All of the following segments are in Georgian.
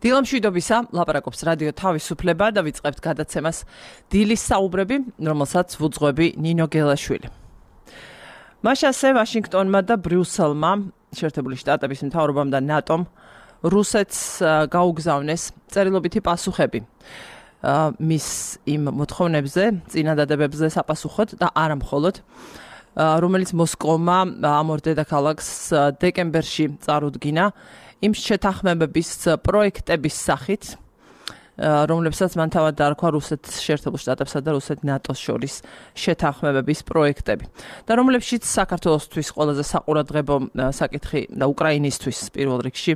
დილამშვიდობისა, ლაპარაკობს რადიო თავისუფლება და ვიწყებთ გადაცემას დილის საუბრები, რომელსაც ვუძღვები ნინო გელაშვილი. მაშ ასე ვაშინგტონმა და ბრიუსელმა, შეერთებული შტატების მთავრობამ და ნატომ რუსეთს გაუგზავნეს წერილობითი პასუხები მის იმ მოთხოვნებზე, წინადადებებზე საპასუხოდ და არა მხოლოდ, რომელიც მოსკოვმა ამ ორ დედაქალაქს დეკემბერში წარუდგინა იმ შეთანხმებების პროექტების სახით, რომლებსაც მან თავად დაარქვა რუსეთის შეერთებულ შტატებსა და რუსეთ ნატოს შორის შეთანხმებების პროექტები. და რომლებშიც საქართველოსთვის ყველაზე საყურადღებო საკითხი და უკრაინისთვის პირველ რიგში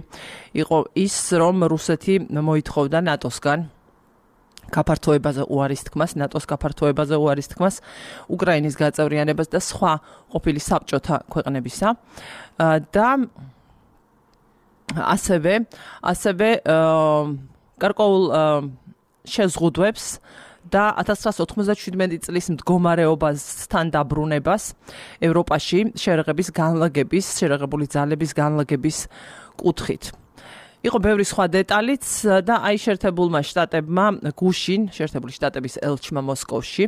იყო ის, რომ რუსეთი მოითხოვდა ნატოსგან გაფართოებაზე უარის თქმას, ნატოს გაფართოებაზე უარის თქმას, უკრაინის გაწევრიანებას და სხვა ყოფილი საბჭოთა ქვეყნებისა და ასევე გარკვეულ შეზღუდვებს და 1997 წლის მდგომარეობასთან დაბრუნებას ევროპაში შეერაღებული ძალების განლაგების კუთხით. იყო ბევრი სხვა დეტალიც და აი შეერთებულმა შტატებმა გუშინ, შეერთებული შტატების ელჩმა მოსკოვში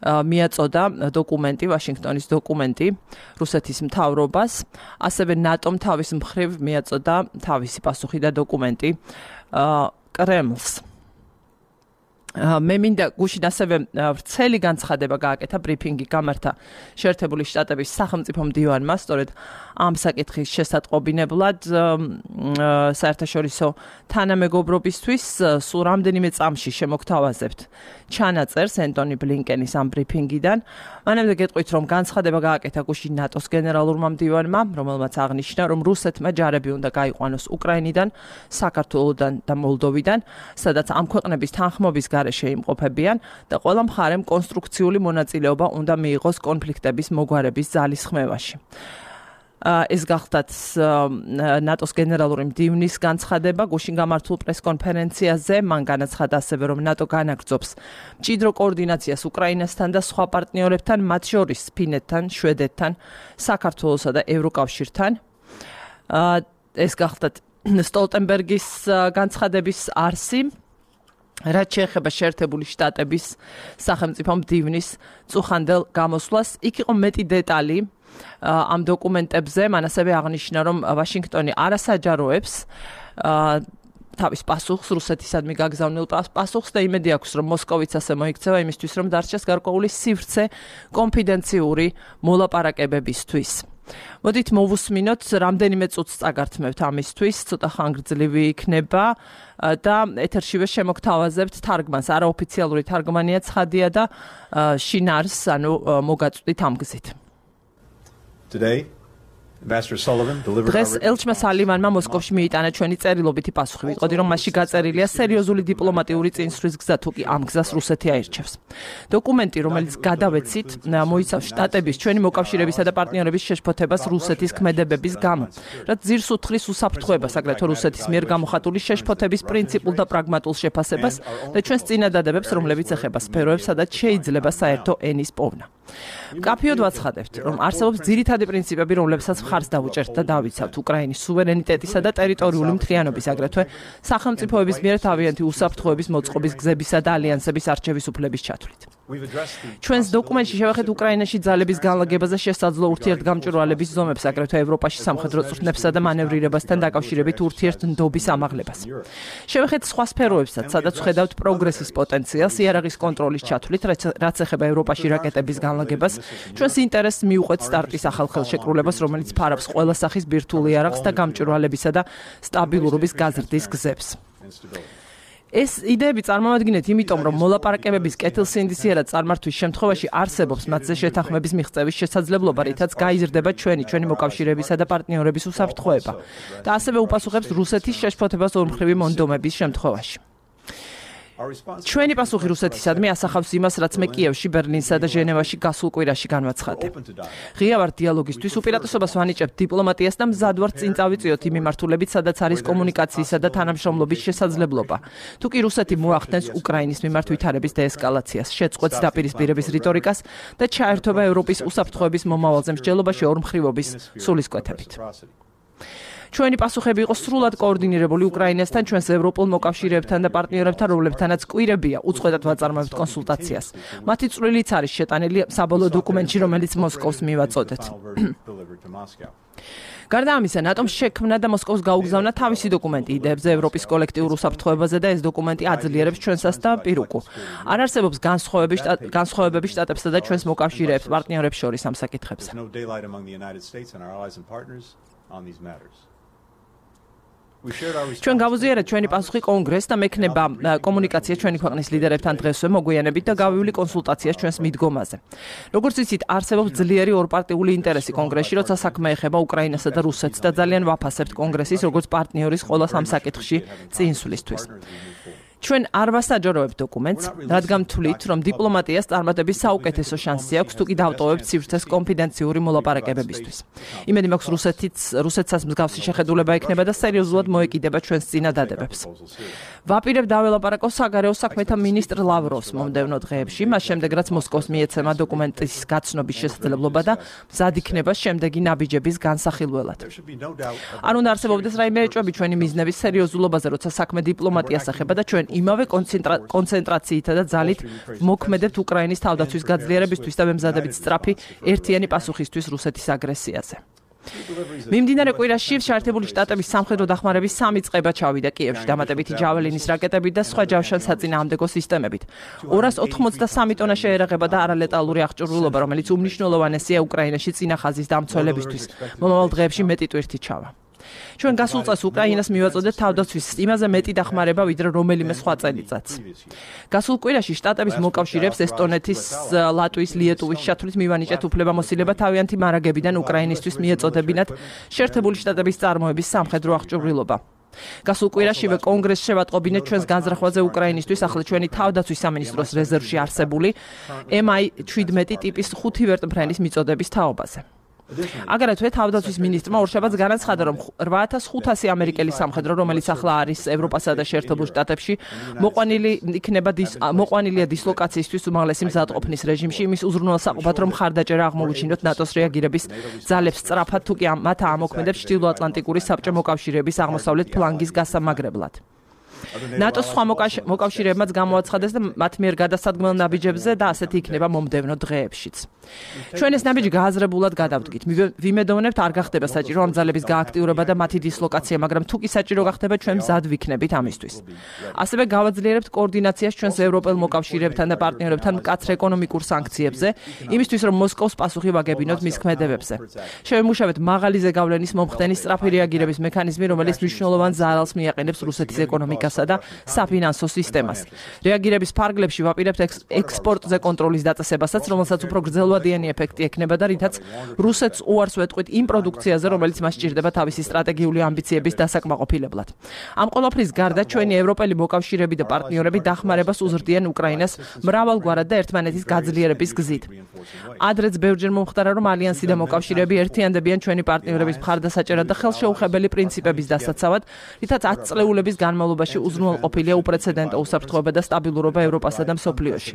მიაწოდა დოკუმენტი, ვაშინგტონის დოკუმენტი რუსეთის მთავრობას, ასევე ნატომ თავის მხრივ მიაწოდა თავისი პასუხი და დოკუმენტი კრემლს. მე მინდა გუშინ ასევე ვრცელი განცხადება გააკეთა, ბრიფინგი გამართა შეერთებული შტატების სახელმწიფო მდივანმა, სწორედ ამ საკითხის შესატყობინებლად საერთაშორისო თანამეგობრობისთვის სულ რამდენიმე წამში შემოგთავაზებთ ჩანაწერს ენტონი ბლინკენის ამ ბრიფინგიდან. მანამდე გეტყვით, რომ განცხადება გააკეთა გუშინ ნატოს გენერალურმა მდივანმა, რომელმაც აღნიშნა, რომ რუსეთმა ჯარები უნდა გაიყვანოს უკრაინიდან, საქართველოდან და მოლდოვიდან, სადაც ამ ქვეყნების თანხმობის გარეშე იმყოფებიან და ყველა მხარემ კონსტრუქციული მონაწილეობა უნდა მიიღოს კონფლიქტების მოგვარების ძალისხმევაში. ეს გახლდათ ნატოს გენერალური მდივნის განცხადება გუშინ გამართულ პრესკონფერენციაზე. მან განაცხადა ასევე, რომ ნატო განაგრძობს მჭიდრო კოორდინაციას უკრაინასთან და სხვა პარტნიორებთან, მათ შორის ფინეთთან, შვედეთთან, საქართველოსა და ევროკავშირთან. ეს გახლდათ სტოლტენბერგის განცხადების არსი. რაც შეეხება შეერთებული შტატების სახელმწიფო მდივნის წუხანდელ გამოსვლას, იქ იყო მეტი დეტალი ამ დოკუმენტებზე. მან ასევე აღნიშნა, რომ ვაშინგტონი არასაჯაროებს თავის პასუხს, რუსეთისადმი გაგზავნილ პასუხს და იმედი აქვს, რომ მოსკოვიც ასე მოიქცევა იმისთვის, რომ დარჩეს გარკვეული სივრცე კონფიდენციური მოლაპარაკებებისთვის. მოდით მოვუსმინოთ, რამდენიმე წუთს წაგართმევთ ამისთვის, ცოტა ხანგრძლივი იქნება და ეთერშივე შემოგთავაზებთ თარგმანს. არაოფიციალური თარგმანია ცხადია და შინარს, ანუ მოგაწვდით ამ გზით. დღეს ელჩმა სალივანმა მოსკოვში მიიტანა ჩვენი წერილობითი პასუხი. ვიტყოდი, რომ მასში გაწერილია სერიოზული დიპლომატიური წინსვლის გზა, თუ კი ამ გზას რუსეთი აირჩევს. დოკუმენტი, რომელიც გადავეცით, მოიცავს შტატების, ჩვენი მოკავშირეებისა და პარტნიორების შეშფოთებას რუსეთის ქმედებების გამო, რაც ძირს უთხრის უსაფრთხოებას, აგრეთვე რუსეთის მიერ გამოხატული შეშფოთების პრინციპულ და პრაგმატულ შეფასებას და ჩვენს წინადადებებს, რომლებიც ეხება სფეროებს, სადაც შეიძლება საერთო ენის პოვნა. მკაფიოდ ვაცხადებთ, რომ არსებობს ძირითადი პრინციპები, რომლებსაც მხარს დავუჭერთ და დავიცავთ უკრაინის სუვერენიტეტისა და ტერიტორიული მთლიანობის, აგრეთვე სახელმწიფოების მიერ თავიანთი უსაფრთხოების მოწყობის გზებისა და ალიანსების არჩევის უფლების ჩათვლით. ჩვენს დოკუმენტში შევეხეთ უკრაინაში ძალების განლაგებაზე შესაძლო ურთიერთგამჭვირვალების ზომებს, აგრეთვე ევროპაში სამხედრო წვრთნებსა და მანევრირებასთან დაკავშირებით ურთიერთნდობის ამაღლებას. შევეხეთ სხვა სფეროებსაც, სადაც ვხედავთ პროგრესის პოტენციალს იარაღის კონტროლის ჩათვლით, რაც ეხება ევროპაში რაკეტების განლაგებას, ჩვენს ინტერესს მიუყვეთ სტარტის ახალ ხელშეკრულებას, რომელიც ფარავს ყველა სახის ბირთვულ იარაღს და გამჭვირვალებისა და სტაბილურობის გაზრდის გზებს. ეს იდეები წარმოვადგინეთ იმიტომ, რომ მოლაპარაკებების კეთილსინდისიერად წარმართვის შემთხვევაში არსებობს მათზე შეთანხმების მიღწევის შესაძლებლობა, რითაც გაიზრდება ჩვენი მოკავშირეებისა და პარტნიორების უსაფრთხოება და ასევე უპასუხებს რუსეთის შეშფოთებას ორმხრივი მონდომების შემთხვევაში. ჩვენი პასუხი რუსეთისადმი ასახავს იმას, რაც მე კიევში, ბერლინსა და ჟენევაში გასულ კვირაში განვაცხადე. ღია ვარ დიალოგისთვის, უპირატესობას ვანიჭებ დიპლომატიას და მზად ვარ წინ წავიწიოთ იმ მიმართულებით, სადაც არის კომუნიკაციისა და თანამშრომლობის შესაძლებლობა. თუ კი რუსეთი მოახდენს უკრაინის მიმართ ვითარების დეესკალაციას, შეწყვეტს დაპირისპირების რიტორიკას და ჩაერთვება ევროპის უსაფრთხოების მომავალზე მსჯელობაში ორმხრივობის სულისკვეთებით. ჩვენი პასუხები იყო სრულად კოორდინირებული უკრაინასთან, ჩვენს ევროპულ მოკავშირეებთან და პარტნიორებთან, რომლებთანაც კვირებია უწყვეტად ვაწარმოებთ კონსულტაციას. მათი წვლილიც არის შეტანილი საბოლოო დოკუმენტში, რომელიც მოსკოვს მივაწოდეთ. გარდა ამისა, ნატომ შექმნა და მოსკოვს გაუგზავნა თავისი დოკუმენტი იდეებზე ევროპის კოლექტიურ უსაფრთხოებაზე და ეს დოკუმენტი აძლიერებს ჩვენსას და პირუკუ. არ არსებობს განსხვავებები შტატებსა და ჩვენს მოკავშირეებს პარტნიორებს შორის ამ საკითხებზე. ჩვენ გავუზიარეთ ჩვენი პასუხი კონგრესს და მექნება კომუნიკაცია ჩვენი ქვეყნის ლიდერებთან დღესვე მოგვიანებით და გავივლი კონსულტაციას ჩვენს მიდგომაზე. როგორც იცით, არსებობს ძლიერი ორპარტიული ინტერესი კონგრესში, როცა საქმე ეხება უკრაინასა და რუსეთს და ძალიან ვაფასებთ კონგრესის როგორც პარტნიორის ყველა ამ საკითხში წინსვლისთვის. ჩვენ არ ვასაჯაროებთ დოკუმენტს, რადგან თვლით, რომ დიპლომატიას წარმატების საუკეთესო შანსი აქვს, თუ კი დავტოვებთ სივრცეს კონფიდენციური მოლაპარაკებებისთვის. იმედი მაქვს, რუსეთსაც მსგავსი შეხედულება ექნება და სერიოზულად მოეკიდება ჩვენს წინადადებებს. ვაპირებ დაველაპარაკო საგარეო საქმეთა მინისტრ ლავროვს მომდევნო დღეებში, მას შემდეგ რაც მოსკოვს მიეცემა დოკუმენტის გაცნობის შესაძლებლობა და მზად იქნება შემდეგი ნაბიჯების განსახილველად. არ უნდა არსებობდეს რაიმე ეჭვები ჩვენი მიზნების სერიოზულობაზე, როცა საქმე დიპლომატიას ეხება და ჩვენ იმავე კონცენტრაციითა და ძალით მოქმედებთ უკრაინის თავდაცვის გაძლიერებისთვის და მემზადებით სწრაფი ერთიანი პასუხისთვის რუსეთის აგრესიაზე. მიმდინარე კვირაში შეერთებული შტატების სამხედრო დახმარების 3 წყება ჩავიდა კიევში დამატებითი ჯაველინის რაკეტებით და სხვა ჯავშან-საწინააღმდეგო სისტემებით. 283 ტონა შეერაღება და არალეტალური აღჭურვილობა, რომელიც უმნიშვნელოვანესია უკრაინაში წინა ხაზის დამცველებისთვის. მომავალ დღეებში მეტი ტვირთი ჩავა. ჩვენ გასულ წელს უკრაინას მივაწოდეთ თავდაცვის იმაზე მეტი დახმარება, ვიდრე რომელიმე სხვა წელიწადს. გასულ კვირაში შტატების მოკავშირეებს ესტონეთის, ლატვიის, ლიეტუვის შეთვლით მივანიჭეთ უფლებამოსილება თავიანთი მარაგებიდან უკრაინისთვის მიეწოდებინათ შეერთებული შტატების წარმოების სამხედრო აღჭურვილობა. გასულ კვირაშივე კონგრესს შევატყობინეთ ჩვენს განზრახვაზე უკრაინისთვის ახლა ჩვენი თავდაცვის სამინისტროს რეზერვში არსებული MI-17 ტიპის 5 ვერტმფრენის მიწოდების თაობაზე. აგრეთვე თავდაცვის მინისტრმა ორშაბათს განაცხადა, რომ 8500 ამერიკელი სამხედრო, რომელიც ახლა არის ევროპასა და შეერთებულ შტატებში, მოყვანილია დისლოკაციისთვის უმაღლესი მზადყოფნის რეჟიმში, იმის უზრუნველსაყოფად, რომ ხარდაჭერა აღმოუჩინოთ ნატოს რეაგირების ძალებს სწრაფად, თუ კი მათ აამოქმედებს ჩრდილოატლანტიკური საბჭო მოკავშირეების აღმოსავლეთ ფლანგის გასამაგრებლად. ნატოს სხვა მოკავშირეებმაც გამოაცხადეს და მათ მიერ გადასადგმელ ნაბიჯებზე და ასეთი იქნება მომდევნო დღეებშიც. ჩვენ ეს ნაბიჯი გააზრებულად გადავდგით. ვიმედოვნებთ არ გახდება საჭირო ამ ძალების გააქტიურება და მათი დისლოკაცია, მაგრამ თუ კი საჭირო გახდება, ჩვენ მზად ვიქნებით ამისთვის. ასევე გავაძლიერებთ კოორდინაციას ჩვენს ევროპელ მოკავშირეებთან და პარტნიორებთან მკაცრ ეკონომიკურ სანქციებზე, იმისთვის რომ მოსკოვს პასუხი ვაგებინოთ მის ქმედებებზე. შევიმუშავეთ მაღალი ზეგავლენის მომხდენის სწრაფი რეაგირების მექანიზმი, რომელიც მნიშვნელოვან ზარალს მიაყენებს რუსეთის ეკონომიკასა და საფინანსო სისტემას. რეაგირების ფარგლებში ვაპირებთ ექსპორტზე კონტროლის დაწესებასაც, რომელსაც უფრო გრძელვადიანი ეფექტი ექნება და რითაც რუსეთს უარს ვეტყვით იმ პროდუქციაზე, რომელიც მას სჭირდება თავისი სტრატეგიული ამბიციების დასაკმაყოფილებლად. ამ ყველაფრის გარდა ჩვენი ევროპელი მოკავშირეები და პარტნიორები დახმარებას უზრდიან უკრაინას მრავალგვარად და ერთმანეთის გაძლიერების გზით. ადრეც ბევრჯერ მომხდარა, რომ ალიანსი და მოკავშირეები ერთიანდებიან ჩვენი პარტნიორების მხარდასაჭერად და ხელშეუხებელი პრინციპების დასაცავად, რითაც 10 წლეულების განმავლობაში უზრუნველყოფილია უპრეცედენტო უსაფრთხოება და სტაბილურობა ევროპასა და მსოფლიოში.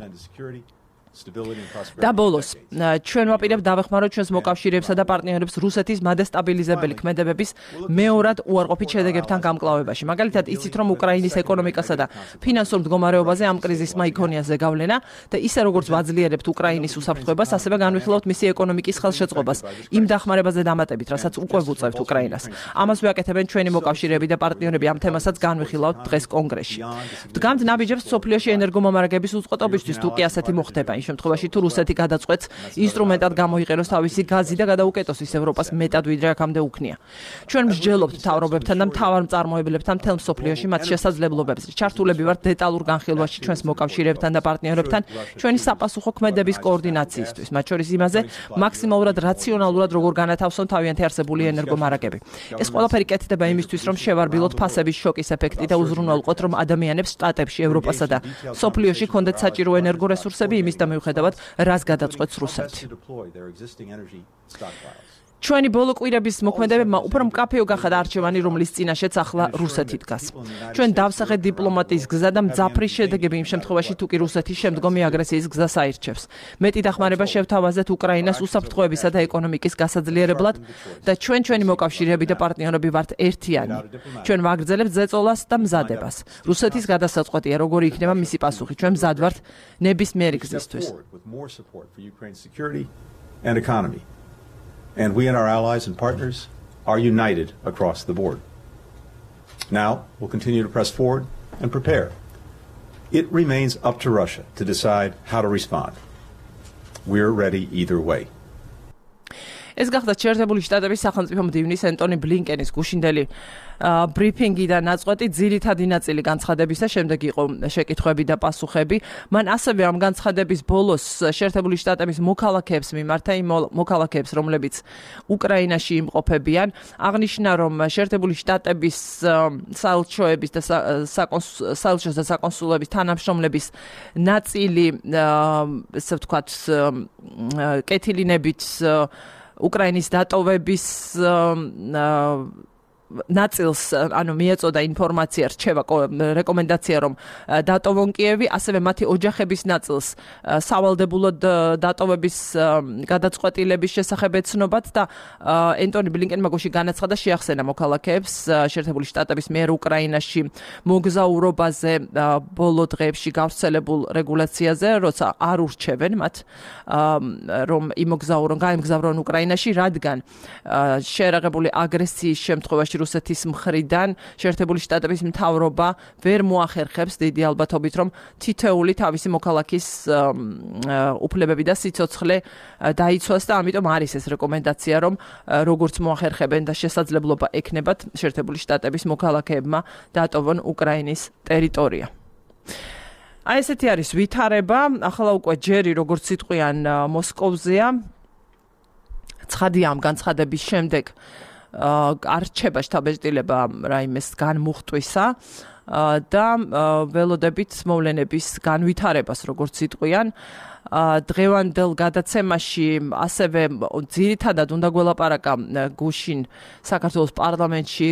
და ბოლოს, ჩვენ ვაპირებთ დავეხმაროთ ჩვენს მოკავშირეებსა და პარტნიორებს რუსეთის მადესტაბილიზებელი ქმედებების მეორად უარყოფით შედეგებთან გამკლავებაში. მაგალითად, იცით, რომ უკრაინის ეკონომიკასა და ფინანსურ მდგომარეობაზე ამ კრიზისმა იქონია ზეგავლენა და ისე როგორც ვაძლიერებთ უკრაინის უსაფრთხოებას, ასევე განვიხილავთ მისი ეკონომიკის ხელშეწყობას იმ დახმარებაზე დამატებით, რასაც უკვე ვუწევთ უკრაინას. ამას ვიაკეთებენ ჩვენი მოკავშირეები და პარტნიორები, ამ თემასაც განვიხილავთ დღეს კონგრესში. ვდგამთ ნაბიჯებს მსოფლიოში ენერგომომარაგების უწყοτობისთვის, თუ კი ასეთი მოხდება. იმ შემთხვევაში თუ რუსეთი გადაწყვეტს ინსტრუმენტად გამოიყენოს თავისი გაზი და გადაუკეტოს ის ევროპას მეტად ვიდრე აქამდე უქნია. ჩვენ მსჯელობთ მთავრობებთან და მთავარ მწარმოებლებთან მთელ მსოფლიოში მათ შესაძლებლობებზე. ჩართულები ვართ დეტალურ განხილვაში ჩვენს მოკავშირეებთან და პარტნიორებთან ჩვენი საპასუხო ქმედების კოორდინაციისთვის, მათ შორის იმაზე მაქსიმალურად რაციონალურად როგორ განათავსონ თავიანთი არსებული ენერგომარაგები. ეს ყველაფერი კეთდება იმისთვის, რომ შევარბილოთ ფასების შოკის ეფექტი და უზრუნველყოთ, რომ ადამიანებს შტატებში, ევროპასა და მსოფლიოში ქონდეთ საჭირო ენერგორესურსები იმის და მიუხედავად, რას გადაწყვეტს რუსეთი. ჩვენი ბოლო კვირების მოქმედებებმა უფრო მკაფიო გახადა არჩევანი, რომლის წინაშეც ახლა რუსეთი დგას. ჩვენ დავსახეთ დიპლომატიის გზა და მძაფრის შედეგები იმ შემთხვევაში, თუ კი რუსეთი შემდგომი აგრესიის გზას აირჩევს. მეტი დახმარება შევთავაზეთ უკრაინას უსაფრთხოებისა და ეკონომიკის გასაძლიერებლად და ჩვენი მოკავშირეები და პარტნიორები ვართ ერთიანი. ჩვენ ვაგრძელებთ ზეწოლას და მზადებას. რუსეთის გადასაწყვეტია, როგორი იქნება მისი პასუხი. ჩვენ მზად ვართ ნებისმიერი გზისთვის. And we and our allies and partners are united across the board. Now, we'll continue to press forward and prepare. It remains up to Russia to decide how to respond. We're ready either way. ეს გახდა შეერთებული შტატების სახელმწიფო მდივნის ენტონი ბლინკენის გუშინდელი ბრიფინგი და ნაწყვეტი ძირითადი ნაწილი განცხადებისა, შემდეგ იყო შეკითხვები და პასუხები. მან ასევე ამ განცხადების ბოლოს შეერთებული შტატების მოქალაქეებს მიმართა, იმ მოქალაქეებს, რომლებიც უკრაინაში იმყოფებიან, აღნიშნა, რომ შეერთებული შტატების საელჩოების და საელჩოს და საკონსულების თანამშრომლების ნაწილი, ესე ვთქვათ, კეთილინებით უკრაინის დატოვების ნაწილს, ანუ მიეწოდა ინფორმაცია, რჩება რეკომენდაცია, რომ დატოვონ კიევი, ასევე მათი ოჯახების ნაწილს სავალდებულოდ დატოვების გადაწყვეტილების შესახებ ეცნობათ და ენტონი ბლინკენმა გუშინ განაცხადა, შეახსენა მოქალაქეებს შეერთებული შტატების მიერ უკრაინაში მოგზაურობაზე ბოლო დღეებში გავრცელებულ რეგულაციაზე, როცა არ ურჩევენ მათ, რომ გაემგზავრონ უკრაინაში, რადგან შეერაღებული აგრესიის შემთხვევაში რუსეთის მხრიდან შეერთებული შტატების მთავრობა ვერ მოახერხებს დიდი ალბათობით, რომ თითოეული თავისი მოქალაქის უფლებები და სიცოცხლე დაიცვას და ამიტომ არის ეს რეკომენდაცია, რომ როგორც მოახერხებენ და შესაძლებლობა ექნებათ შეერთებული შტატების მოქალაქეებმა დატოვონ უკრაინის ტერიტორია. აი ესეთი არის ვითარება, ახლა უკვე ჯერი როგორც სიტყვიან მოსკოვზეა. ცხადია ამ განცხადების შემდეგ არ რჩება შტაბ-ბეჭდილება რაიმეს განმუხტვისა და ველოდებით მოვლენების განვითარებას, როგორც იტყვიან. დღევანდელ გადაცემაში ასევე ძირითადად უნდა გველაპარაკა გუშინ საქართველოს პარლამენტში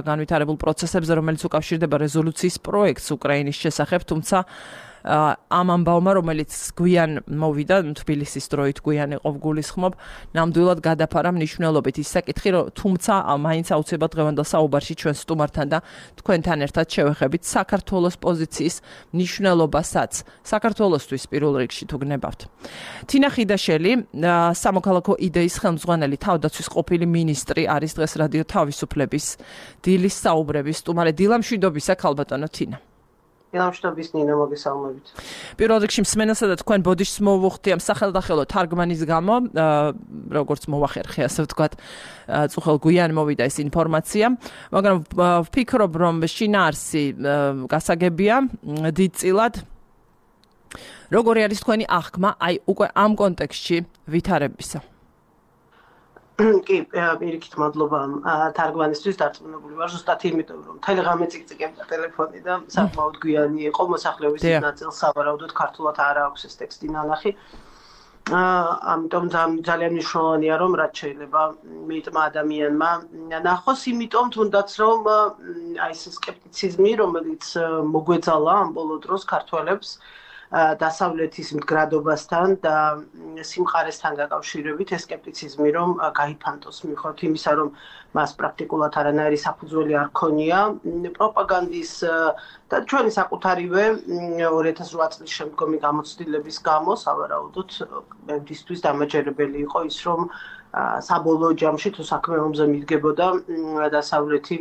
განვითარებულ პროცესებზე, რომელიც უკავშირდება რეზოლუციის პროექტს უკრაინის შესახებ, თუმცა ამ ამბავმა, რომელიც გვიან მოვიდა, თბილისის დროით გვიან იყო გულისხმობ, ნამდვილად გადაფარა მნიშვნელობით ის საკითხი, რომ თუმცა მაინც აუცილებლად დღევანდელ საუბარში ჩვენ სტუმართან და თქვენთან ერთად შევეხებით საქართველოს პოზიციის მნიშვნელობასაც, საქართველოსთვის პირველ რიგში თუ გნებავთ. თინა ხიდაშელი, სამოქალაქო იდეის ხელმძღვანელი, თავდაცვის ყოფილი მინისტრი, არის დღეს რადიო თავისუფლების დილის საუბრების სტუმარი. დილამშვიდობისა, ქალბატონო თინა. დილამშვიდობის ნინო, მოგესალმებით. პირველ რიგში მსმენელსა და თქვენ ბოდიშს მოვუხდი ამ სახელდახელო თარგმანის გამო, როგორც მოვახერხე, ასე ვთქვათ, წუხელ გვიან მოვიდა ეს ინფორმაცია, მაგრამ ვფიქრობ, რომ შინაარსი გასაგებია დიდწილად. როგორი არის თქვენი აღქმა აი უკვე ამ კონტექსტში ვითარებისა? კი, პირიქით მადლობა თარგმანისთვის, დარწმუნებული ვარ, ზუსტად იმიტომ, რომ მთელი ღამე წიკწიკებდა ტელეფონი და საკმაოდ გვიანი იყო, მოსახლეობის ნაწილს სავარაუდოდ ქართულად არ აქვს ეს ტექსტი ნანახი. ამიტომ ძალიან მნიშვნელოვანია, რომ რაც შეიძლება მიტმა ადამიანმა ნახოს, იმიტომ თუნდაც რომ აი ეს სკეპტიციზმი, რომელიც მოგვეძალა ამ ბოლო დროს ქართველებს დასავლეთის მდგრადობასთან და სიმყარესთან დაკავშირებით ეს სკეპტიციზმი რომ გაიფანტოს მიუხედავად იმისა, რომ მას პრაქტიკულად არანაირი საფუძველი არ ქონია პროპაგანდის და ჩვენი საკუთარივე 2008 წლის შემდგომი გამოცდილების გამო სავარაუდოდ მისთვის დამაჯერებელი იყო ის, რომ საბოლოო ჯამში თუ საქმე ომზე მიდგებოდა დასავლეთი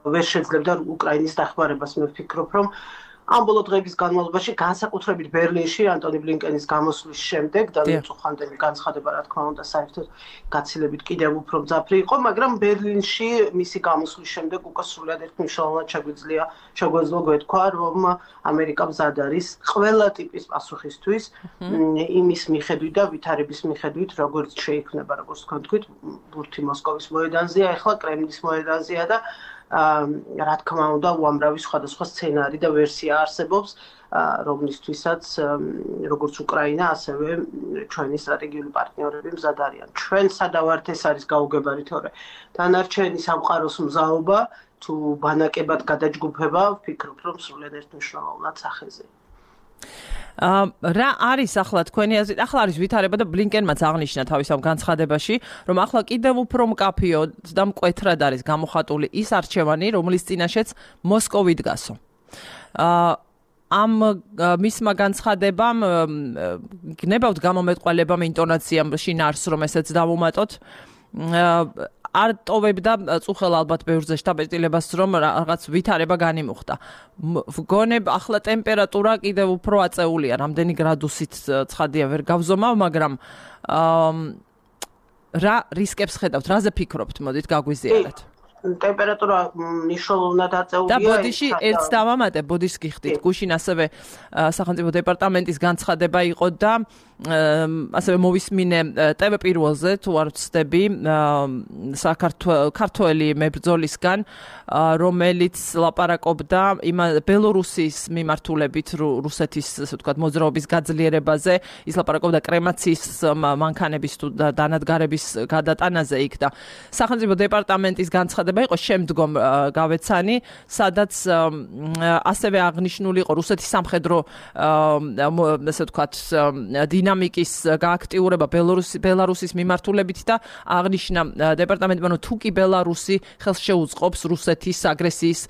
ვერ შეძლებდა უკრაინის დახმარებას. მე ვფიქრობ, რომ ამ ბოლო დღეების განმავლობაში განსაკუთრებით ბერლინში ანტონი ბლინკენის გამოსვლის შემდეგ და უწუხანდელი განცხადება რა თქმა უნდა საერთოდ გაცილებით კიდევ უფრო მძაფრი იყო, მაგრამ ბერლინში მისი გამოსვლის შემდეგ უკვე სრულად ერთმნიშვნელოვნად შეგვეძლო გვეთქვა, რომ ამერიკა მზად არის ყველა ტიპის პასუხისთვის იმის მიხედვით და ვითარების მიხედვით, როგორც შეიქმნება, როგორც თქვენ თქვით, ბურთი მოსკოვის მოედანზეა, ახლა კრემლის მოედანზეა და რა თქმა უნდა, უამრავი სხვადასხვა სცენარი და ვერსია არსებობს. რომლისთვისაც როგორც უკრაინა, ასევე ჩვენი სტრატეგიული პარტნიორები მზად არიან. ჩვენ სადავართ ეს არის გაუგებარი, თორე დანარჩენი სამყაროს მზაობა თუ ბანაკებად გადაჯგუფება, ვფიქრობ, რომ სრულად ერთმნიშვნელოვნად სახეზე. რა არის ახლა თქვენი აზრით? ახლა არის ვითარება და ბლინკენმაც აღნიშნა თავის ამ განცხადებაში, რომ ახლა კიდევ უფრო მკაფიო და მკვეთრად არის გამოხატული ის არჩევანი, რომლის წინაშეც მოსკოვი დგასო. ამ მისმა განცხადებამ გნებავთ გამომეტყველებამ ინტონაციამ შინაარსს, რომ ესეც დავუმატოთ. არ ტოვებდა წუხელ ალბათ ბევრზე შტაბეტილებას, რომ რაღაც ვითარება განიმუხტა. გონებ ახლა ტემპერატურა კიდევ უფრო აწეულია, რამდენი გრადუსით ცხადია ვერ გავზომავ, მაგრამ რა რისკებს ხედავთ, რაზე ფიქრობთ, მოდით გაგვიზიარეთ. ტემპერატურა მნიშვნელოვნად აწეულია. და ბოდიში ერთს დავამატე, ბოდიშს გიხდით. გუშინ ასევე სახელმწიფო დეპარტამენტის განცხადება იყო და ასევე მოვისმინე TV პირველზე, თუ არ ვცდები, ქართველი მებრძოლისგან, რომელიც ლაპარაკობდა ბელორუსის მიმართულებით რუსეთის, ასე ვთქვათ, მოძრაობის გაძლიერებაზე, ის ლაპარაკობდა კრემაციის მანქანების თუ დანადგარების გადატანაზე იქ და სახელმწიფო დეპარტამენტის განცხადება იყო შემდგომ გავეცანი, სადაც ასევე აღნიშნული იყო რუსეთის სამხედრო ასე ვთქვათ დინამიკის გააქტიურება ბელარუსის მიმართულებით და აღნიშნა დეპარტამენტმა, რომ თუ კი ბელარუსი ხელს შეუწყობს რუსეთის აგრესიის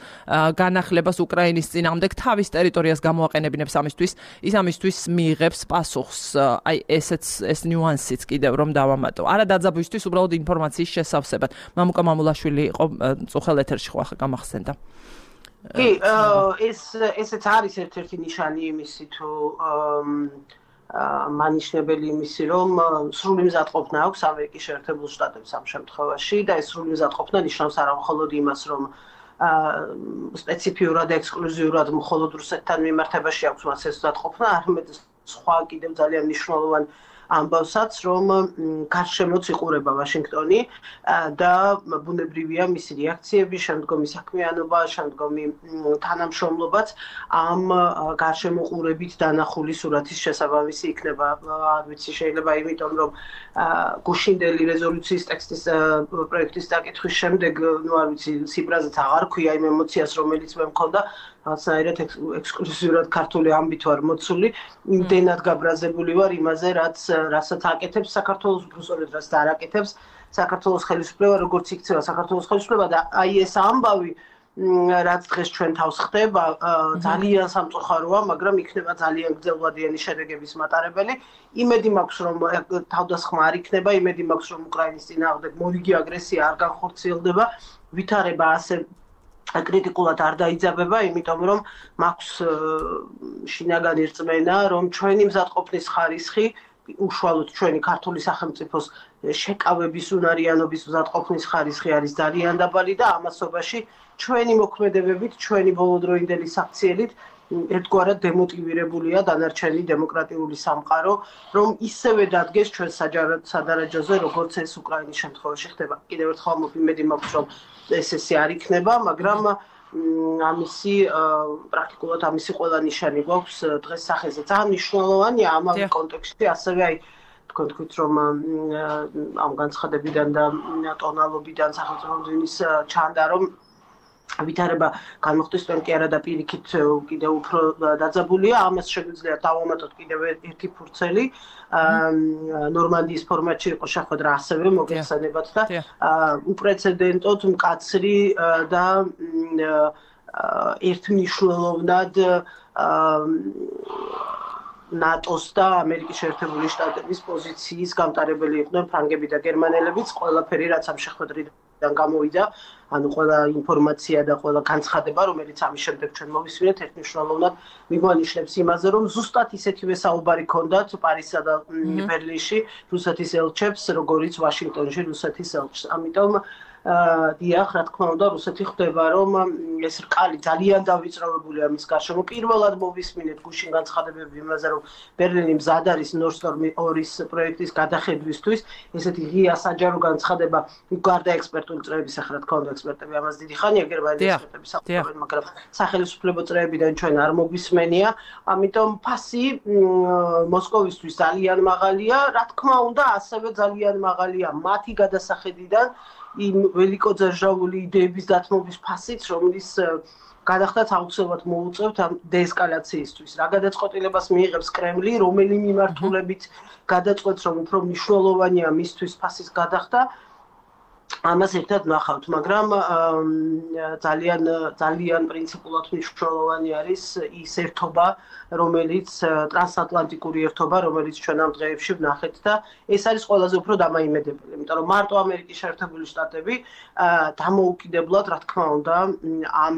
განახლებას უკრაინის წინააღმდეგ, თავის ტერიტორიას გამოაყენებინებს ამისთვის, ის ამისთვის მიიღებს პასუხს. აი ეს ნიუანსიც კიდევ რომ დავამატო. არა დაძაბვისთვის, უბრალოდ ინფორმაციის შესავსებად. მამუკა მამულაშვილი იყო წუხელ ეთერში ხო ახლა გამახსენდა. კი, ესეც არის ერთ-ერთი ნიშანი იმისი, თუ მანიშნებელი იმისი, რომ სრული მზადყოფნა აქვს ამერიკის შეერთებულ შტატებს ამ შემთხვევაში და ეს სრული მზადყოფნა ნიშნავს არა მხოლოდ იმას, რომ სპეციფიურად და ექსკლუზიურად მხოლოდ რუსეთთან მიმართებაში აქვს მას ეს მზადყოფნა, არამედ სხვა კიდევ ძალიან მნიშვნელოვანი ამბავსაც, რომ გარშემოც იყურება ვაშინგტონი და ბუნებრივია მისი რეაქციები, შემდგომი საქმიანობა, შემდგომი თანამშრომლობაც ამ გარშემოყურებით დანახული სურათის შესაბამისი იქნება. არ ვიცი, შეიძლება იმიტომ, რომ გუშინდელი რეზოლუციის ტექსტის პროექტის დაკითხვის შემდეგ, არ ვიცი, სიბრაზეც აღარ ქვია იმ ემოციას, რომელიც მე მქონდა, რაღაცნაირად ექსკლუზიურად ქართული ამბით ვარ მოცული, იმდენად გაბრაზებული ვარ იმაზე, რასაც აკეთებს საქართველოს, უბრალოდ რაც დააკეთებს საქართველოს ხელისუფლება, როგორც იქცევა საქართველოს ხელისუფლება და აი ეს ამბავი, რაც დღეს ჩვენ თავს ხდება, ძალიან სამწუხაროა, მაგრამ იქნება ძალიან გრძელვადიანი შედეგების მატარებელი. იმედი მაქვს, რომ თავდასხმა არ იქნება, იმედი მაქვს, რომ უკრაინის წინააღმდეგ მორიგი აგრესია არ განხორციელდება, ვითარება ასე კრიტიკულად არ დაიძაბება, იმიტომ რომ მაქვს შინაგანი რწმენა, რომ ჩვენი მზადყოფნის ხარისხი უშუალოდ ჩვენი ქართული სახელმწიფოს შეკავების უნარიანობის მზადყოფნის ხარისხი არის ძალიან დაბალი და ამასობაში ჩვენი მოქმედებებით, ჩვენი ბოლოდროინდელი საქციელით ერთგვარად დემოტივირებულია დანარჩენი დემოკრატიული სამყარო, რომ ისევე დადგეს ჩვენ სადარაჯოზე, როგორც ეს უკრაინის შემთხვევაში ხდება. კიდევ ერთხელ იმედი მაქვს, რომ ესე არ იქნება, მაგრამ ამისი პრაქტიკულად ამისი ყველა ნიშანი გვაქვს დღეს სახეზე. ძალიან მნიშვნელოვანია ამავე კონტექსტში, ასევე აი თქვენ თქვით, რომ ამ განცხადებიდან და ტონალობიდან სახელმწიფო მდივნის ჩანდა, რომ ვითარება განმოხდეს თქვენ კი არა და პირიქით კიდევ უფრო დაძაბულია, ამას შეგვიძლია დავამატოთ კიდევ ერთი ფურცელი. ნორმანდიის ფორმატში იყო შეხვედრა ასევე მოგეხსენებათ და უპრეცედენტოდ მკაცრი და ერთმნიშვნელოვნად ნატოს და ამერიკის შეერთებული შტატების პოზიციის გამტარებელი იყვნენ ფრანგები და გერმანელებიც, ყველაფერი რაც ამ შეხვედრიდან გამოვიდა, ანუ ყველა ინფორმაცია და ყველა განცხადება, რომელიც ამის შემდეგ ჩვენ მოვისმინეთ, ერთმნიშვნელოვნად მიგვანიშნებს იმაზე, რომ ზუსტად ისეთივე საუბარი ჰქონდათ პარიზსა და ბერლინში რუსეთის ელჩებს, როგორიც ვაშინგტონში რუსეთის ელჩს. ამიტომ დიახ, რა თქმა უნდა, რუსეთი ხვდება, რომ ეს რკალი ძალიან დავიწროვებულია მის გარშემო. პირველად მოვისმინეთ გუშინ განცხადებები იმაზე, რომ ბერლინი მზად არის Nord Stream 2-ის პროექტის გადახედვისთვის. ესეთი ღია საჯარო განცხადება გარდა ექსპერტული წრეების, ახლა რა თქმა უნდა, ექსპერტები ამას დიდი ხანია გერმანიის ექსპერტები საუბრობენ, მაგრამ სახელმწიფო წრეებიდან ჩვენ არ მოგვისმენია. ამიტომ ფასი მოსკოვისთვის ძალიან მაღალია, რა თქმა უნდა, ასევე ძალიან მაღალია მათი გადასახედიდან იმ ველიკოძერჟავული იდეების დათმობის ფასიც, რომლის გადახდაც აუცილებლად მოუწევთ ამ დეესკალაციისთვის. რა გადაწყვეტილებას მიიღებს კრემლი, რომელი მიმართულებით გადაწყვეტს, რომ უფრო მნიშვნელოვანია მისთვის ფასის გადახდა, ამას ერთად ნახავთ, მაგრამ ძალიან პრინციპულად მნიშვნელოვანი არის ის ერთობა, რომელიც ტრანსატლანტიკური ერთობა, რომელიც ჩვენ ამ დღეებში ვნახეთ და ეს არის ყველაზე უფრო დამაიმედებელი, იმიტომ რომ მარტო ამერიკის შეერთებული შტატები დამოუკიდებლად, რა თქმა უნდა, ამ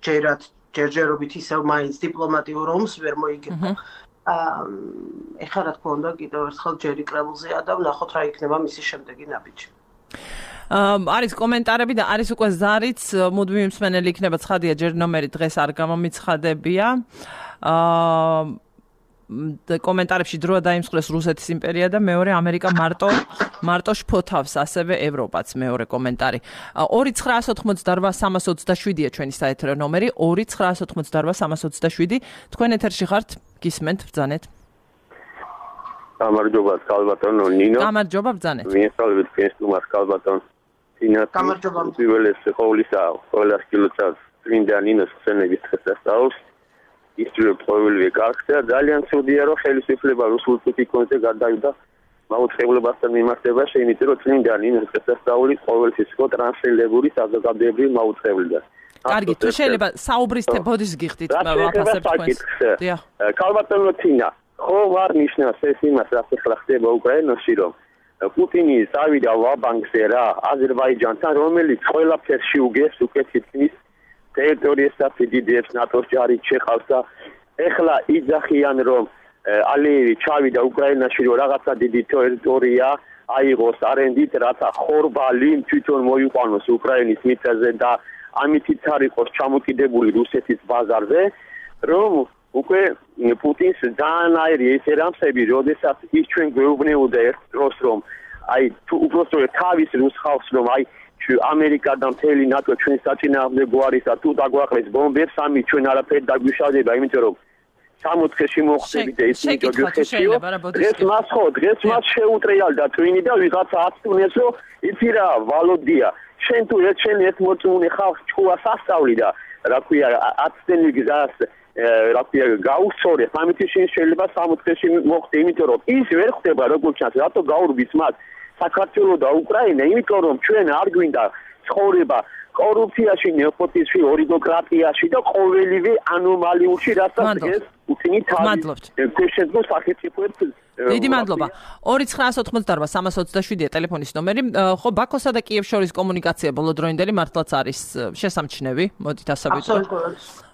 ჯერჯერობით ისევ მაინც დიპლომატიურ ომს ვერ მოიგება. ეხლა რა თქმა უნდა, კიდევ ერთხელ ჯერი კრემლზეა და ვნახოთ რა იქნება მისი შემდეგი ნაბიჯი. არის კომენტარები და არის უკვე ზარიც მუდმივი მსმენელი იქნება ცხადია ჯერ ნომერი დღეს არ გამომიცხადებია კომენტარებში დროა დაიმსხვრეს რუსეთის იმპერია და მეორე ამერიკა მარტო შფოთავს ასევე ევროპაც მეორე კომენტარი 2988327-ია ჩვენი საეთერო ნომერი 2988327 თქვენ ეთერში ხართ გისმენთ ბრძანეთ გამარჯობა სკალბატონო ნინო გამარჯობა ბრძანეთ მიესალმებით ქესტუმარს სკალბატონ გამარჯობა პირველეს ყოვლისა ყოველას კილოცავს წმინდა ნინოს ხსენების დღესასწაულს ისწრებ ყოველივე კარგს და ძალიან ცუდია რომ ხელისუფლება რუსულ პოლიტიკონზე გადავიდა მაუწყებლებასთან მიმართებაში იმიტომ რომ წმინდა ნინოს დღესასწაული ყოველთვის იყო ტრანსლირებული საზოგადოებრივ მაუწყებლად კარგი თუ შეიძლება საუბრის ბოდის გიხდით ვაფასებ თქვენს დიახ სკალბატონო თინა ხო ვარ ნიშნავს ეს იმას რაც ახლა ხდება უკრაინაში რომ პუტინი წავიდა ვაბანკზე რა აზერბაიჯანთან რომელიც ყველაფერში უგეს უკვე თითქმის ტერიტორიასაც დიდებს ნატოს ჯარი ჩეხავს და ეხლა იძახიან რომ ალიევი ჩავიდა უკრაინაში რომ რაღაცა დიდი ტერიტორია აიღოს არენდით რათა ხორბალი თვითონ მოიყვანოს უკრაინის მიწაზე და ამითიც არ იყოს ჩამოკიდებული რუსეთის ბაზარზე რომ უკვე პუტინს ძალიან აირი ესე რამსები როდესაც ის ჩვენ გვეუბნეოდა ერთ დროს რომ აი თუ უბრალოდ თავის რუს ხალხს რომ აი ამერიკა და მთელი ნატო ჩვენ საწინააღმდეგო არის და თუ დაგვაყრეს ბომბებს ამით ჩვენ არაფერი დაგვიშავდება იმიტომ რომ 60-ში მოხდებით და ის მიტოვებია დღეს მას შეუტრიალდა twin და ვიღაცა აცტუნეს რომ იცი რა ვალოდია შენ თუ ერთ მოწმუნე ხალხს ჭკუას ასწავლი და რა ქვია აცტენი გზას რა ქვია გაუსწორეს ამით შეიძლება 60-ში მოხდე იმიტომ რომ ის ვერ ხდება როგორც ჩანს რატო გაურბის მას საქართველო და უკრაინა იმიტომ რომ ჩვენ არ გვინდა ცხოვრება კორუფციაში ნეპოტიზმში ორიგოკრატიაში და ყოველივე ანომალიურში რასაც დღეს პუტინი თავის შეძლო სახელმწიფოებს დიდი მადლობა 2988327-ია ტელეფონის ნომერი ხო ბაქოსა და კიევს შორის კომუნიკაცია ბოლოდროინდელი მართლაც არის შესამჩნევი მოდით ასე ვიტყვით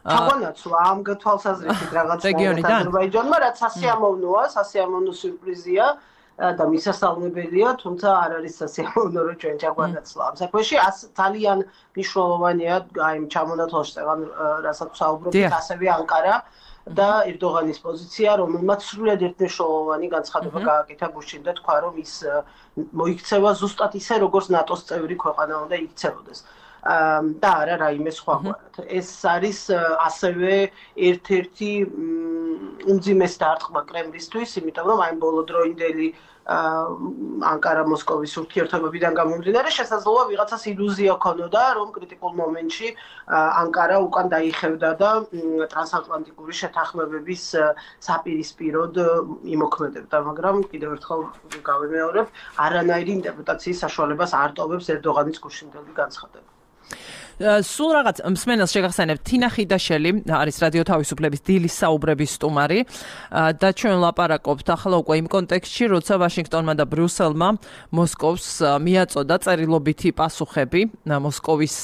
ჩაგვანაცვლა ამ თვალსაზრისით რაღაც აზერბაიჯანმა რაც სასიამოვნოა სასიამოვნო სიურპრიზია და მისასალმებელია, თუმცა არ არის სასიამოვნო რომ ჩვენ ჩაგვანაცვლა ამ საქმეში. ძალიან მნიშვნელოვანია აი ჩამონათვალშეღან რასაც საუბრობთ, ასევე ანკარა და ერდოღანის პოზიცია, რომელმაც სრულიად ერთმნიშვნელოვანი განცხადება გააკეთა გუშინ და თქვა, რომ ის მოიქცევა ზუსტად ისე, როგორც ნატოს წევრი ქვეყანა უნდა იქცებოდეს. და არა რაიმე სხვაგვარად. ეს არის ასევე ერთ-ერთი უმძიმესი დარტყმა კრემლისთვის, იმიტომ რომ აი ბოლოდროინდელი ანკარა-მოსკოვის ურთიერთობებიდან გამომდინარე შესაძლოა ვიღაცას ილუზია ქონოდა, რომ კრიტიკულ მომენტში ანკარა უკან დაიხევდა და ტრანსატლანტიკური შეთანხმებების საპირისპიროდ იმოქმედებდა, მაგრამ კიდევ ერთხელ გავიმეორებ, არანაირი ინტერპრეტაციის საშუალებას არ ტოვებს ერდოღანის გუშინდელი განცხადება. სულ რაღაც მსმენელს შეგახსენებ თინა ხიდაშელი არის რადიო თავისუფლების დილის საუბრების სტუმარი და ჩვენ ლაპარაკობთ ახლა უკვე იმ კონტექსტში, როცა ვაშინგტონმა და ბრიუსელმა მოსკოვს მიაწოდა წერილობითი პასუხები მოსკოვის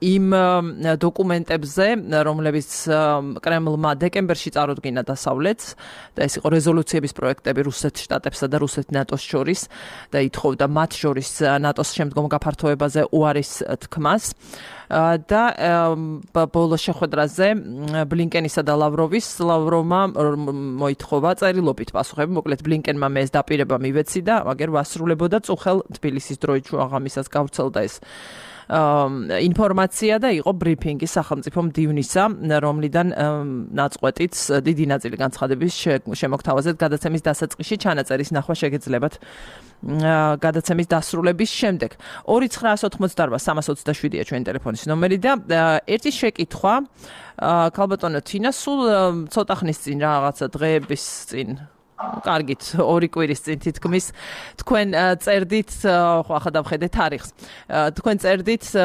იმ დოკუმენტებზე, რომლებიც კრემლმა დეკემბერში წარუდგინა დასავლეთს და ეს იყო რეზოლუციების პროექტები რუსეთ შტატებსა და რუსეთ ნატოს შორის და ითხოვდა მათ შორის ნატოს შემდგომ გაფართოებაზე უარის თქმას და ბოლო შეხვედრაზე ბლინკენისა და ლავროვმა მოითხოვა წერილობით პასუხები. მოკლედ ბლინკენმა მე ეს დაპირება მივეცი და აგერ ვასრულებოდა წუხელ თბილისის დროით შუაღამისას გავრცელდა ეს ინფორმაცია და იყო ბრიფინგი სახელმწიფო მდივნისა, რომლიდან ნაწყვეტიც დიდი ნაწილი განცხადების შემოგთავაზეთ გადაცემის დასაწყისში ჩანაწერის ნახვა შეგეძლებათ გადაცემის დასრულების შემდეგ. 2988327-ია ჩვენი ტელეფონის ნომერი და ერთი შეკითხვა ქალბატონო თინა, სულ ცოტა ხნის წინ რაღაცა დღეების წინ კარგით, 2 კვირის წინ თითქმის თქვენ წერდით, ხო ახლა დავხედე თარიღს. თქვენ წერდით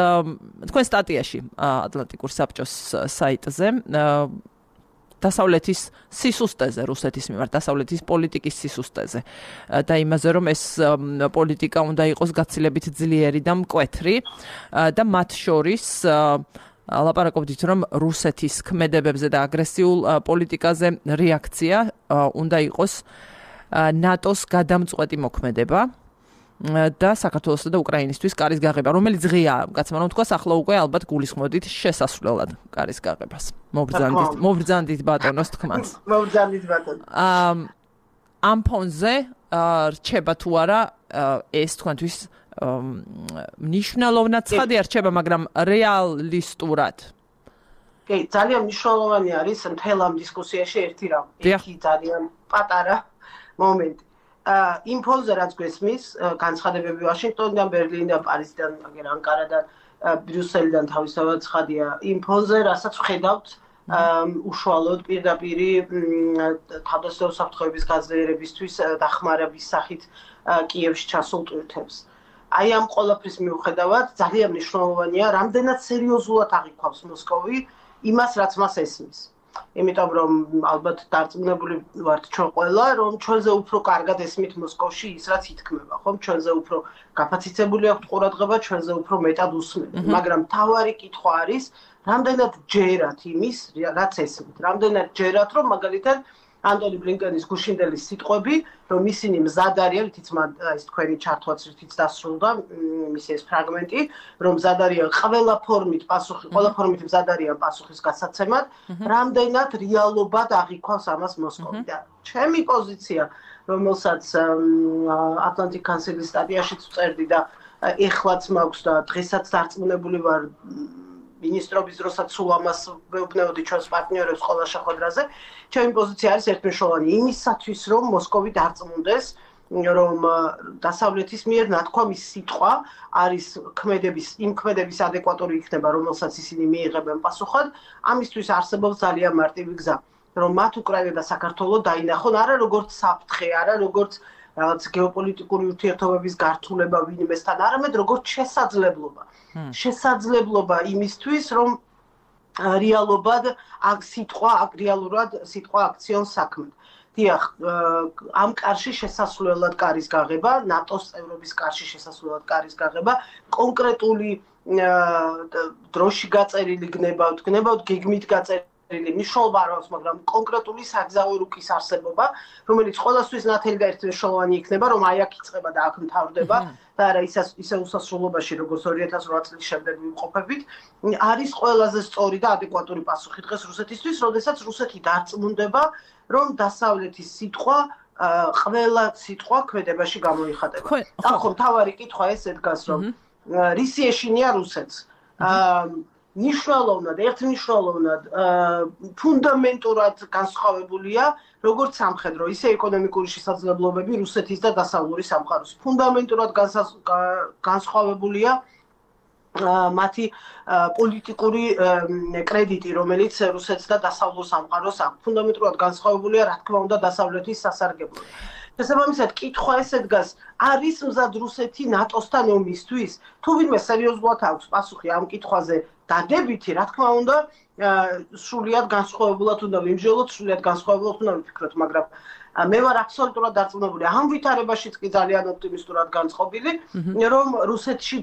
თქვენ სტატიაში ატლანტიკურ საბჭოს საიტზე დასავლეთის სისუსტეზე, რუსეთის მიმართ დასავლეთის პოლიტიკის სისუსტეზე და იმაზე, რომ ეს პოლიტიკა უნდა იყოს გაცილებით ძლიერი და მკვეთრი და მათ შორის ლაპარაკობდით, რომ რუსეთის ქმედებებზე და აგრესიულ პოლიტიკაზე რეაქცია უნდა იყოს ნატოს გადამწყვეტი მოქმედება და საქართველოსა და უკრაინისთვის კარის გაღება, რომელიც ღიაა, კაცმა რომ თქვას, ახლა უკვე ალბათ გულისხმოდით შესასვლელად კარის გაღებას. მობრძანდით ბატონოს თქმას. მობრძანდით ბატონო. ამ ფონზე რჩება თუ არა ეს თქვენთვის მნიშვნელოვნად ცხადი არჩება, მაგრამ რეალისტურად. კი, ძალიან მნიშვნელოვანი არის მთელ ამ დისკუსიაში ერთი რამ. ერთი ძალიან პატარა მომენტი. იმ ფონზე რაც გვესმის, განცხადებები ვაშინგტონიდან, ბერლინიდან, პარიზიდან, ანკარიდან, ბრიუსელიდან თავისთავად ცხადია. იმ ფონზე, რასაც ვხედავთ, უშუალოდ პირდაპირი თავდაცვითი საფრთხეების გაძლიერებისთვის დახმარების სახით კიევში ჩასულ ტვირთებს. აი ამ ყველაფრის მიუხედავად ძალიან მნიშვნელოვანია, რამდენად სერიოზულად აღიქვავს მოსკოვი იმას, რაც მას ესმის. იმიტომ რომ ალბათ დარწმუნებული ვართ ჩვენ ყველა, რომ ჩვენზე უფრო კარგად ესმით მოსკოვში ის, რაც ითქმება, ხომ? ჩვენზე უფრო გაფაციცებული აქვთ ყურადღება, ჩვენზე უფრო მეტად უსმენთ. მაგრამ მთავარი კითხვა არის, რამდენად ჯერათ იმის, რაც ესმით. რამდენად ჯერათ, რომ მაგალითად ანტონი ბლინკენის გუშინდელის სიტყვები, რომ ისინი მზად არიან, თიც ის თქვენი ჩართვაც რითიც დასრულდა, მისი ეს ფრაგმენტი, რომ მზად არიან ყველა ფორმით მზად არიან პასუხის გასაცემად, რამდენად რეალობად აღიქვავს ამას მოსკოვი. და ჩემი პოზიცია, რომელსაც ატლანტიკ კანსელის სტატიაშიც ვწერდი და ეხლაც მაქვს და დღესაც დარწმუნებული ვარ მინისტრობის დროსაც სულ ამას ვეუბნეოდი ჩვენს პარტნიორებს ყველა შეხვედრაზე. ჩემი პოზიცია არის ერთმნიშვნელოვანი იმისათვის, რომ მოსკოვი დარწმუნდეს, რომ დასავლეთის მიერ ნათქვამის სიტყვა არის იმ ქმედების ადეკვატური იქნება, რომელსაც ისინი მიიღებენ პასუხად. ამისთვის არსებობს ძალიან მარტივი გზა, რომ მათ უკრაინა და საქართველო დაინახონ არა როგორც საფრთხე, არა როგორც რაღაც გეოპოლიტიკური ურთიერთობების გართულება ვინმესთან, არამედ როგორც შესაძლებლობა. შესაძლებლობა იმისთვის, რომ რეალურად სიტყვა აქციონს საქმედ. დიახ, ამ კარში შესასვლელად კარის გაღება, ნატოს წევრობის კარში შესასვლელად კარის გაღება, კონკრეტული დროში გაწერილი გნებავთ, გეგმით გაწერილი მნიშვნელობა არ აქვს, მაგრამ კონკრეტული საგზაო რუკის არსებობა, რომელიც ყოველთვის ნათელი და ერთმნიშვნელოვანი იქნება, რომ აი აქ იწყება და აქ მთავრდება და არა ისე უსასრულობაში, როგორც 2008 წლის შემდეგ ვიმყოფებით, არის ყველაზე სწორი და ადეკვატური პასუხი დღეს რუსეთისთვის, როდესაც რუსეთი დარწმუნდება, რომ დასავლეთის სიტყვა ყველა სიტყვა ქმედებაში გამოიხატება. და ხო, მთავარი კითხვა ესე დგას, რომ რისი ეშინია რუსეთს? ერთმნიშვნელოვნად ფუნდამენტურად განსხვავებულია როგორც სამხედრო, ისე ეკონომიკური შესაძლებლობები რუსეთის და დასავლური სამყაროს. ფუნდამენტურად განსხვავებულია მათი პოლიტიკური კრედიტი, რომელიც რუსეთს და დასავლურ სამყაროს აქვს. ფუნდამენტურად განსხვავებულია, რა თქმა უნდა, დასავლეთის სასარგებლოდ. შესაბამისად, კითხვა ესე დგას, არის მზად რუსეთი ნატოსთან ომისთვის? თუ თუ ვინმე სერიოზულად აქვს პასუხი ამ კითხვაზე დადებითი, რა თქმა უნდა, სრულიად განსხვავებულად უნდა ვიმსჯელოთ, სრულიად განსხვავებულად უნდა ვიფიქროთ, მაგრამ მე ვარ აბსოლუტურად დარწმუნებული ამ ვითარებაშიც კი ძალიან ოპტიმისტურად განწყობილი, რომ რუსეთში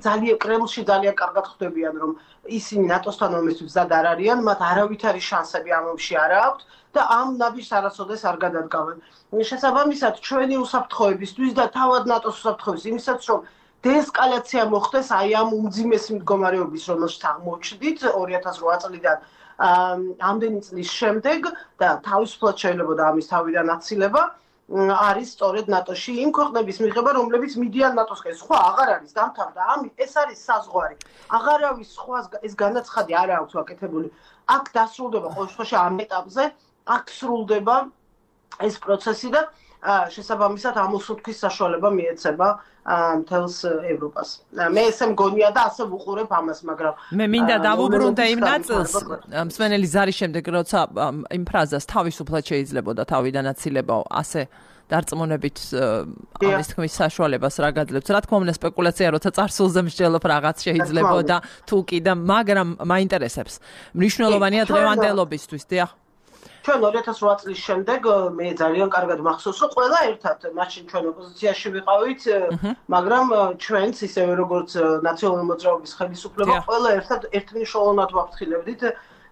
კრემლში ძალიან კარგად ხვდებიან, რომ ისინი ნატოსთან ომისთვის მზად არ არიან, მათ არავითარი შანსები ამ ომში არ აქვთ და ამ ნაბიჯს არასოდეს არ გადადგავენ. შესაბამისად, ჩვენი უსაფრთხოებისთვის და თავად ნატოს უსაფრთხოების იმისაც, რომ დეესკალაცია მოხდეს აი ამ უმძიმესი მდგომარეობის, რომელშიც აღმოჩნდით 2008 წლიდან ამდენი წლის შემდეგ და თავისუფლად შეიძლება ამის თავიდან აცილება არის სწორედ ნატოში იმ ქვეყნების მიღება, რომლებიც მიდიან ნატოსკენ. სხვა აღარ არის დამთავრდა. ეს არის საზღვარი. აღარავის სხვა ეს განაცხადი არ აქვს ვაკეთებული. აქ დასრულდება ყოველ შემთხვევაში ამ ეტაპზე, აქ სრულდება ეს პროცესი და შესაბამისად ამ უსუქის საშუალება მიეცემა მთელს ევროპას. მე ესე მგონია და ასე ვუყურებ ამას, მაგრამ მე მინდა დავუბრუნდე იმ ნაწილს, მსმენელი ზარის შემდეგ, როცა იმ ფრაზას თავისუფლად შეიძლებოდა თავიდან აცილებაო, ასე დარწმუნებით ამის თქმის საშუალებას რა გაძლევთ. რა თქმა უნდა, სპეკულაცია, როცა წარსულზე მსჯელობ რაღაც შეიძლებოდა თუ კი და მაგრამ მაინტერესებს. მნიშვნელოვანია დღევანდელობისთვის, დიახ. ჩვენ 2008 წლის შემდეგ მე ძალიან კარგად მახსოვს, რომ ყველა ერთად მაშინ ჩვენ ოპოზიციაში ვიყავით, მაგრამ ჩვენც ისევე როგორც ნაციონალური მოძრაობის ხელისუფლება, ყველა ერთად ერთმნიშვნელოვნად ვაფრთხილებდით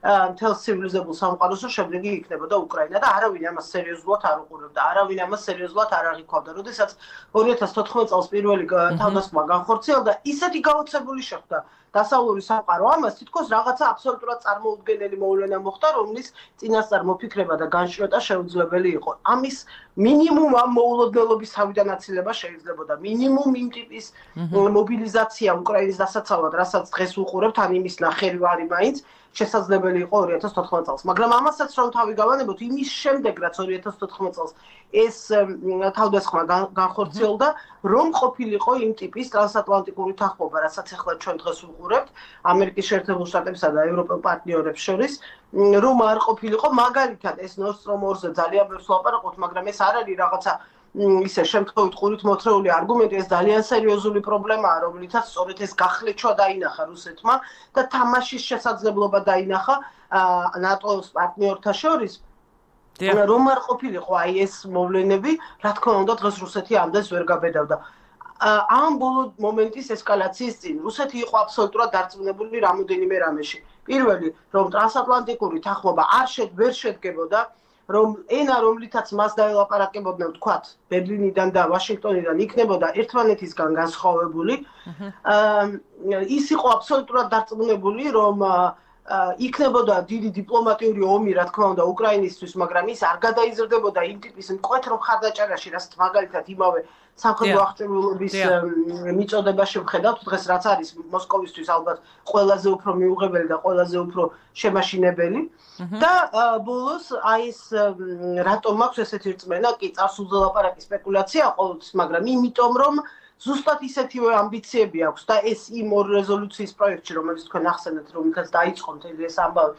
მთელ ცივილიზებულ სამყაროს, რომ შემდეგი იქნებოდა უკრაინა და არავინ ამას სერიოზულად არ უყურებდა, არავინ ამას სერიოზულად არ აღიქვავდა. როდესაც 2014 წელს პირველი თავდასხმა განხორციელდა, ისეთი გაოცებული შეხვდა დასავლური სამყარო ამას, თითქოს რაღაცა აბსოლუტურად წარმოუდგენელი მოვლენა მოხდა, რომლის წინასწარ მოფიქრება და განშროტა შეუძლებელი იყო. ამის მინიმუმ ამ მოულოდნელობის თავიდან აცილება შეიძლებოდა. მინიმუმ იმ ტიპის მობილიზაცია უკრაინის დასაცავად, რასაც დღეს ვუყურებთ, ან იმის ნახევარი მაინც შესაძლებელი იყო 2014 წელს. მაგრამ ამასაც რომ თავი გავანებოთ, იმის შემდეგ, რაც 2014 წელს ეს თავდასხმა განხორციელდა, რომ ყოფილიყო იმ ტიპის ტრანსატლანტიკური თანხმობა, რასაც ახლა ჩვენ დღეს ვუყურებთ ამერიკის შეერთებულ შტატებსა და ევროპელ პარტნიორებს შორის, რომ არ ყოფილიყო, მაგალითად ეს Nord Stream 2-ზე ძალიან ბევრს ლაპარაკობთ, მაგრამ ეს არ არის რაღაცა ისე შემთხვევით ყურით მოთხრეული არგუმენტი, ეს ძალიან სერიოზული პრობლემაა, რომლითაც სწორედ ეს გახლეჩვა დაინახა რუსეთმა და თამაშის შესაძლებლობა დაინახა ნატოს პარტნიორთა შორის. რომ არ ყოფილიყო აი ეს მოვლენები, რა თქმა უნდა დღეს რუსეთი ამდენს ვერ გაბედავდა. ამ ბოლო მომენტის ესკალაციის წინ რუსეთი იყო აბსოლუტურად დარწმუნებული რამოდენიმე რამეში. პირველი, რომ ტრანსატლანტიკური თანხმობა ვერ შედგებოდა, რომ ენა რომლითაც მას დაელაპარაკებოდნენ, ვთქვათ, ბერლინიდან და ვაშინგტონიდან იქნებოდა ერთმანეთისგან განსხვავებული. ის იყო აბსოლუტურად დარწმუნებული, რომ იქნებოდა დიდი დიპლომატიური ომი, რა თქმა უნდა, უკრაინისთვის, მაგრამ ის არ გადაიზრდებოდა იმ ტიპის მკვეთრ მხარდაჭერაში, რასაც მაგალითად იმავე სამხედრო აღჭურვილობის მიწოდებაში ვხედავთ, დღეს რაც არის მოსკოვისთვის ალბათ ყველაზე უფრო მიუღებელი და ყველაზე უფრო შემაშინებელი. და ბოლოს აი ეს რატომ აქვს ესეთი რწმენა, კი წარსულზე ლაპარაკი სპეკულაცია ყოველთვის, მაგრამ იმიტომ რომ ზუსტად ისეთივე ამბიციები აქვს და ეს იმ ორ რეზოლუციის პროექტში, რომელიც თქვენ ახსენეთ, რომელთაც დაიწყო მთელი ეს ამბავი.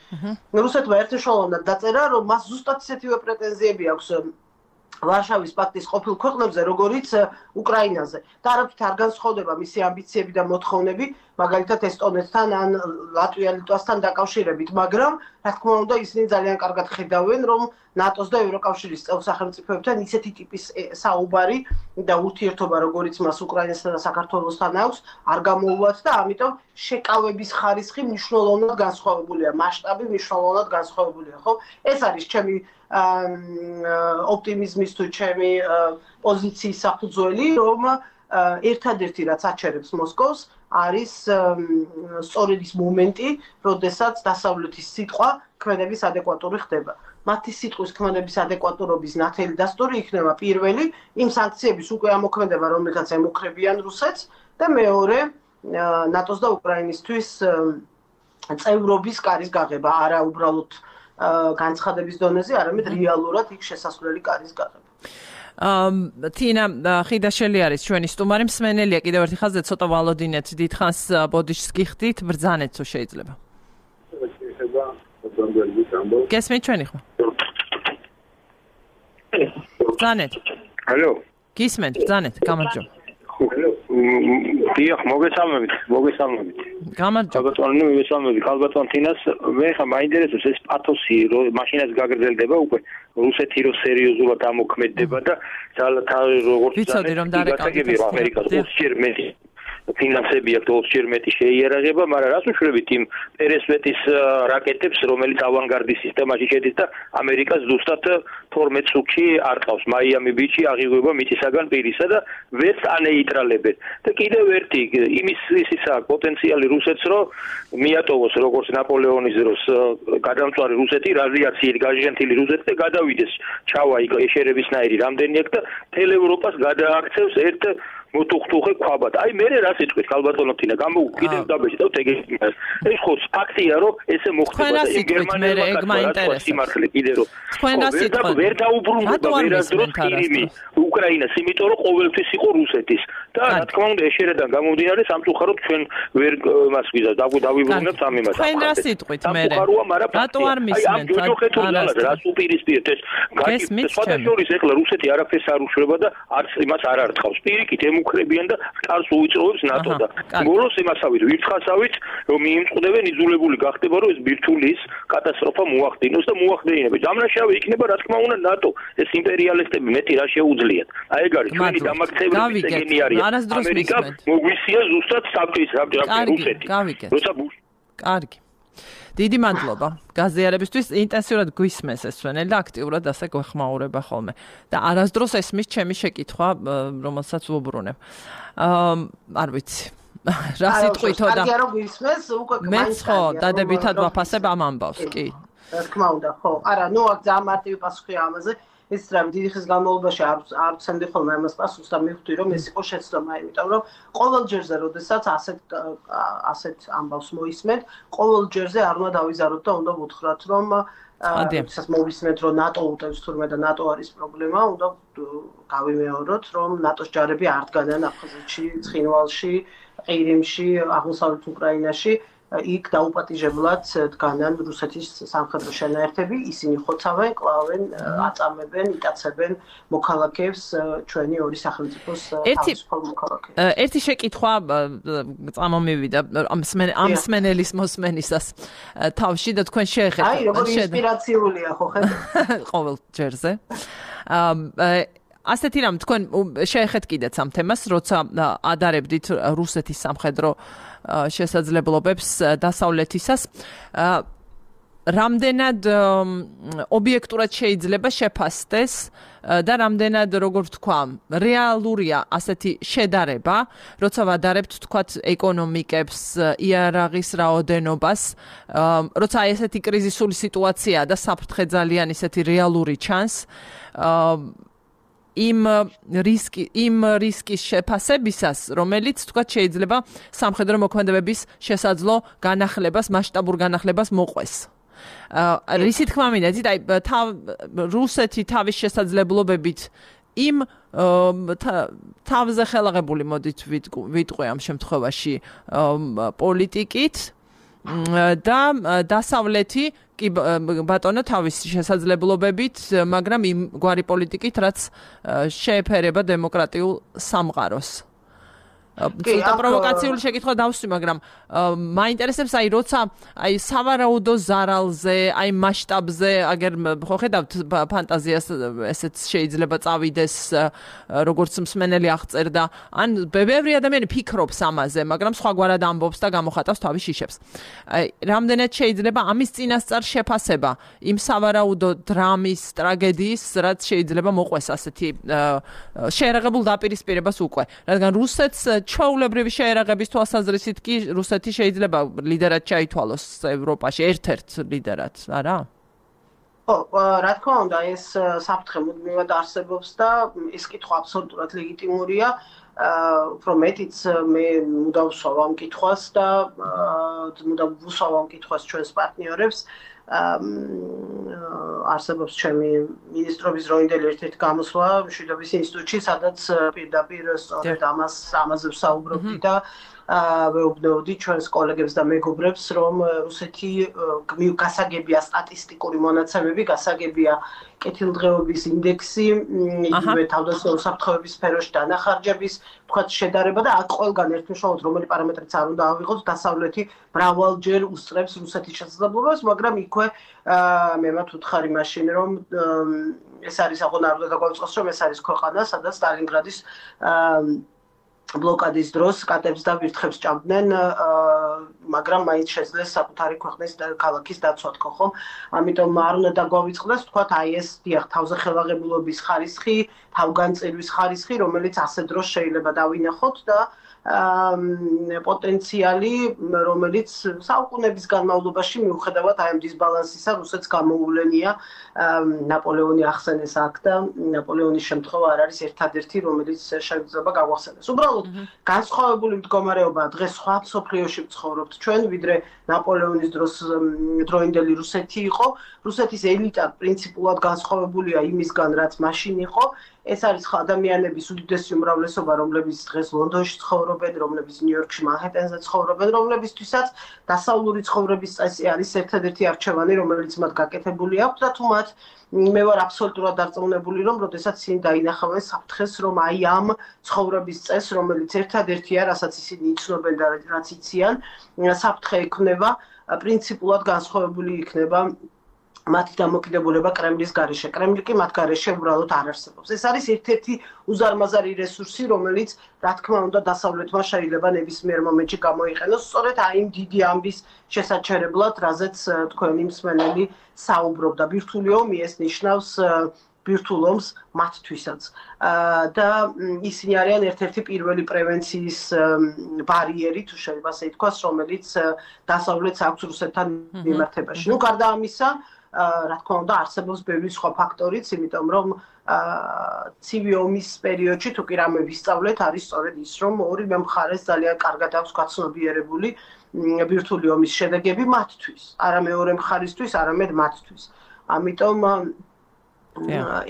რუსეთმა ერთშეულოვნად დაწერა, რომ მას ზუსტად ისეთივე პრეტენზიები აქვს ვარშავის პაქტის ყოფილ ქვეყნებზე, როგორიც უკრაინაზე. და არაფრით არ განსხვავდება მისი ამბიციები და მოთხოვნები, მაგალითად ესტონეთთან ან ლატვია-ლიტვასთან დაკავშირებით, მაგრამ რა თქმა უნდა, ისინი ძალიან კარგად ხედავენ, რომ ნატოს და ევროკავშირის წევრ სახელმწიფოებთან ისეთი ტიპის საუბარი და ურთიერთობა, როგორიც მას უკრაინასთან და საქართველოსთან აქვს, არ გამოუვათ და ამიტომ შეკავების ხარისხი მნიშვნელოვნად განსხვავებულია, მასშტაბი მნიშვნელოვნად განსხვავებულია, ხო? ეს არის ჩემი ოპტიმიზმის თუ ჩემი პოზიციის საფუძველი, რომ ერთადერთი რაც აჩერებს მოსკოვს არის სწორედ ის მომენტი, როდესაც დასავლეთის სიტყვა ქმედების ადეკვატური ხდება. მათი სიტყვის ქმედების ადეკვატურობის ნათელი დასტური იქნება პირველი იმ სანქციების უკვე ამოქმედება, რომელთაც ემუქრებიან რუსეთს და მეორე ნატოს და უკრაინისთვის წევრობის კარის გაღება, არა უბრალოდ განცხადების დონეზე, არამედ რეალურად იქ შესასვლელი კარის გაღება. თინა ხიდაშელი არის ჩვენი სტუმარი, მსმენელია კიდევ ერთი ხაზზე ცოტა ვალოდინეთ, დიდხანს ბოდიშს გიხდით, ბრძანეთ თუ შეიძლება. გესმით ჩვენი ხმა? ბრძანეთ. ალო. გისმენთ, ბრძანეთ, გამარჯობა. დიახ, მოგესალმებით. გამარჯობა. ბატონო, მოგესალმებით. ქალბატონ თინას, მე ხა მაინტერესებს ეს პათოსი, რომ მაშინაც გაგრძელდება უკვე რუსეთი რო სერიოზულად ამოქმედდება და როგორც ვიცოდი რომ დარეკავდით ამერიკას 20 ჯერ მეტი ფინანსები აქვს 20 ჯერ მეტი შეიარაღება, მაგრამ რას უშუალოდ იმ პერესვეტის რაკეტებს, რომელიც ავანგარდის სისტემაში შედის და ამერიკას ზუსტად 12 წუთში არტყავს მაიამი ბიჩი აღიღვება მიწისაგან პირისა და ვერც ანეიტრალებენ. და კიდევ ერთი იმის ისა პოტენციალი რუსეთს რო მიატოვოს როგორც ნაპოლეონის დროს გადამწვარი რუსეთი, რადიაციით გაჟღენთილი რუსეთი და გადავიდეს ჩავა იქ ეშერებისნაირი რამდენი აქ და მთელ ევროპას გადააქცევს ერთ მოტუხტუხე ქვაბად. აი მე რას იტყვით ქალბატონო თინა, კიდევ დაბეჭდავთ ეგ. ეს ხო ფაქტია რომ ესე მოხდება და იმ გერმანელმა კაცმა სიმართლე კიდე რომ თქვენ რას იტყვით? ვერ დაუბრუნდება ვერასდროს ხირიმი უკრაინას, იმიტომ რომ ყოველთვის იყო რუსეთის. და რა თქმა უნდა ეშერედან გამომდინარე სამწუხაროდ ჩვენ ვერ მას ვიზავ დავიბრუნებთ ამ იმას. თქვენ რას იტყვით მე? რატო არ აი ამ მისმენთ? ჯოჯოხეთურნალად რას უპირისპირეთ ეს სხვადასხვა ეხლა რუსეთი არაფერს არ უშვრება და არც იმას არ არტყავს. პირიქით ემუქრებიან და სტარს უიწროვებს ნატო და ბოლოს იმასავით ვირთხასავით რომ მიიმწყდებენ იძულებული გახდება რომ ეს ბირთვulis კატასტროფა მოახდინოს და მოახდინებს. დამნაშავე იქნება რა თქმა უნდა ნატო. ეს იმპერიალისტები მეტი რა შეუძლიათ. აი ეგ არის ჩვენი დამაქცევების ეგენი არის. ამერიკა მოგვისია ზუსტად საბჭის რუსეთი. როცა კარგი. დიდი მადლობა გაზიარებისთვის. ინტენსიურად გვისმენს ეს სვენელი და აქტიურად ასე გვეხმაურება ხოლმე. და არასდროს ესმის ჩემი შეკითხვა, რომელსაც ვუბრუნებ. არ ვიცი. რა სიტყვითო და კარგია რომ გვისმენს, უკვე მეც ხო დადებითად ვაფასებ ამ ამბავს, კი. რა თქმა უნდა, ხო. არა, ნუ აქ ძალიან მარტივი პასუხია ამაზე. ეს რა დიდი ხის განმავლობაში არ ვცემდი ხოლმე ამას პასუხს და მივხვდი რომ ეს იყო შეცდომა, იმიტომ რომ ყოველ ჯერზე, როდესაც ასეთ ამბავს მოისმენთ, ყოველ ჯერზე არ უნდა დავიზაროთ და უნდა ვუთხრათ, რომ როდესაც მოვისმენთ, რომ ნატო უტევს თურმე და ნატო არის პრობლემა, უნდა გავიმეოროთ, რომ ნატოს ჯარები არ დგანან აფხაზეთში, ცხინვალში, ყირიმში, აღმოსავლეთ უკრაინაში. იქ დაუპატიჟებლად დგანან რუსეთის სამხედრო შენაერთები, ისინი ხოცავენ, კლავენ, აწამებენ, იტაცებენ მოქალაქეებს, ჩვენი ორი სახელმწიფოს თავისუფალ მოქალაქეებს. ერთი შეკითხვა წამომივიდა ამ სმენელის მოსმენისას თავში და თქვენ შეეხეთ. აი, როგორი ინსპირაციულია ხო ხედავთ? ყოველ ჯერზე. ასეთი რამ თქვენ შეეხეთ კიდეც ამ თემას, როცა ადარებდით რუსეთის სამხედრო შესაძლებლობებს დასავლეთისას. რამდენად ობიექტურად შეიძლება შეფასდეს და რამდენად, როგორ ვთქვა, რეალურია ასეთი შედარება, როცა ვადარებთ თქვათ ეკონომიკებს, იარაღის რაოდენობას, როცა ესეთი კრიზისული სიტუაციაა და საფრთხე ძალიან ისეთი რეალური ჩანს, იმ რისკის შეფასებისას, რომელიც თქვათ შეიძლება სამხედრო მოქმედებების შესაძლო განახლებას, მასშტაბურ განახლებას მოყვეს. რისი თქმა მინდით, აი რუსეთი თავის შესაძლებლობებით იმ თავზე ხელაღებული მოდით ვიტყვი ამ შემთხვევაში პოლიტიკით და დასავლეთი კი ბატონო თავის შესაძლებლობებით, მაგრამ იმ გვარი პოლიტიკით, რაც შეეფერება დემოკრატიულ სამყაროს. ცოტა პროვოკაციული შეკითხვა დავსვი, მაგრამ მაინტერესებს აი როცა აი სავარაუდო ზარალზე, აი მასშტაბზე, აგერ ხო ხედავთ ფანტაზიას ესეც შეიძლება წავიდეს, როგორც მსმენელი აღწერდა, ან ბევრი ადამიანი ფიქრობს ამაზე, მაგრამ სხვაგვარად ამბობს და გამოხატავს თავის შიშებს. აი რამდენად შეიძლება ამის წინასწარ შეფასება იმ სავარაუდო დრამის, ტრაგედიის, რაც შეიძლება მოყვეს ასეთი შეერაღებულ დაპირისპირებას უკვე, რადგან რუსეთს ჩვეულებრივი შეერაღების თვალსაზრისით კი რუსეთი შეიძლება ლიდერად ჩაითვალოს ევროპაში, ერთ-ერთ ლიდერად, არა? ხო, რა თქმა უნდა, ეს საფრთხე მუდმივად არსებობს და ეს კითხვა აბსოლუტურად ლეგიტიმურია. უფრო მეტიც მე მუდამ ვსვავ ამ კითხვას და მუდამ ვუსვავ ამ კითხვას ჩვენს პარტნიორებს. არსებობს ჩემი მინისტრობის დროინდელი ერთ-ერთი გამოსვლა მშვიდობის ინსტიტუტში, სადაც პირდაპირ სწორედ ამაზე ვსაუბრობდი და ვეუბნეოდი ჩვენს კოლეგებს და მეგობრებს, რომ რუსეთი გასაგებია სტატისტიკური მონაცემები, გასაგებია კეთილდღეობის ინდექსი, იგივე თავდაცვითი საფრთხეების სფეროში დანახარჯების, თქვათ შედარება და აქ ყველგან ერთმშობლად რომელი პარამეტრიც არ უნდა ავიღოთ, დასავლეთი მრავალჯერ უსწრებს რუსეთის შესაძლებლობას, მაგრამ იქვე მე მათ ვუთხარი მაშინ, რომ ეს არის აღონარდა და გვაწყობს, რომ ეს არის ქვეყანა, სადაც სტალინგრადის ბლოკადის დროს კატებს და ვირთხებს ჭამდნენ, მაგრამ მაინც შეძლეს საკუთარი ქვეყნის და ქალაქის დაცვა თქო ხომ? ამიტომ არ უნდა დაგვავიწყდეს, თქვათ, აი ეს დიახ, თავზე ხელაღებულობის ხარისხი, თავგანწირვის ხარისხი, რომელიც ასე დროს შეიძლება დავინახოთ და პოტენციალი, რომელიც საუკუნეების განმავლობაში მიუხედავად აი ამ დისბალანსისა რუსეთს გამოუვლენია ნაპოლეონი ახსენეს აქ და ნაპოლეონის შემთხვევა არ არის ერთადერთი, რომელიც შეიძლება გავახსენოს. უბრალოდ განსხვავებული მდგომარეობაა დღეს სხვა მსოფლიოში ვცხოვრობთ ჩვენ, ვიდრე ნაპოლეონის დროინდელი რუსეთი იყო. რუსეთის ელიტა პრინციპულად განსხვავებულია იმისგან, რაც მაშინ იყო. ეს არის ადამიანების უდიდესი უმრავლესობა, რომლებიც დღეს ლონდონში ცხოვრობენ, რომლებიც ნიუ-იორკში, მანჰეტენზე ცხოვრობენ, რომლებისთვისაც დასავლური ცხოვრების წესი არის ერთადერთი არჩევანი, რომელიც მათ გაკეთებული აქვს და თუ მათ მე ვარ აბსოლუტურად დარწმუნებული, რომ როდესაც ისინი დაინახავენ საფრთხეს, რომ აი ამ ცხოვრების წესს, რომელიც ერთადერთია, რასაც ისინი იცნობენ და რაც იციან, საფრთხე ექმნება, პრინციპულად განსხვავებული იქნება მათი დამოკიდებულება კრემლის გარეშე. კრემლი კი მათ გარეშე უბრალოდ არ არსებობს. ეს არის ერთ-ერთი უზარმაზარი რესურსი, რომელიც, რა თქმა უნდა, დასავლეთმა შეიძლება ნებისმიერ მომენტში გამოიყენოს, სწორედ აი იმ დიდი ამბის შესაჩერებლად, რაზეც თქვენი მსმენელი საუბრობდა. ბირთვული ომი ეს ნიშნავს ბირთვულ ომს მათთვისაც. და ისინი არიან ერთ-ერთი პირველი პრევენციის ბარიერი, თუ შეიძლება ასე ითქვას, რომელიც დასავლეთს აქვს რუსეთთან მიმართებაში. ნუ გარდა ამისა, რა თქმა უნდა, არსებობს ბევრი სხვა ფაქტორიც, იმიტომ რომ ცივი ომის პერიოდში თუ კი რამე ვისწავლეთ, არის სწორედ ის, რომ ორივე მხარეს ძალიან კარგად აქვს გაცნობიერებული ბირთვული ომის შედეგები მათთვის, არა მეორე მხარისთვის, არამედ მათთვის. ამიტომ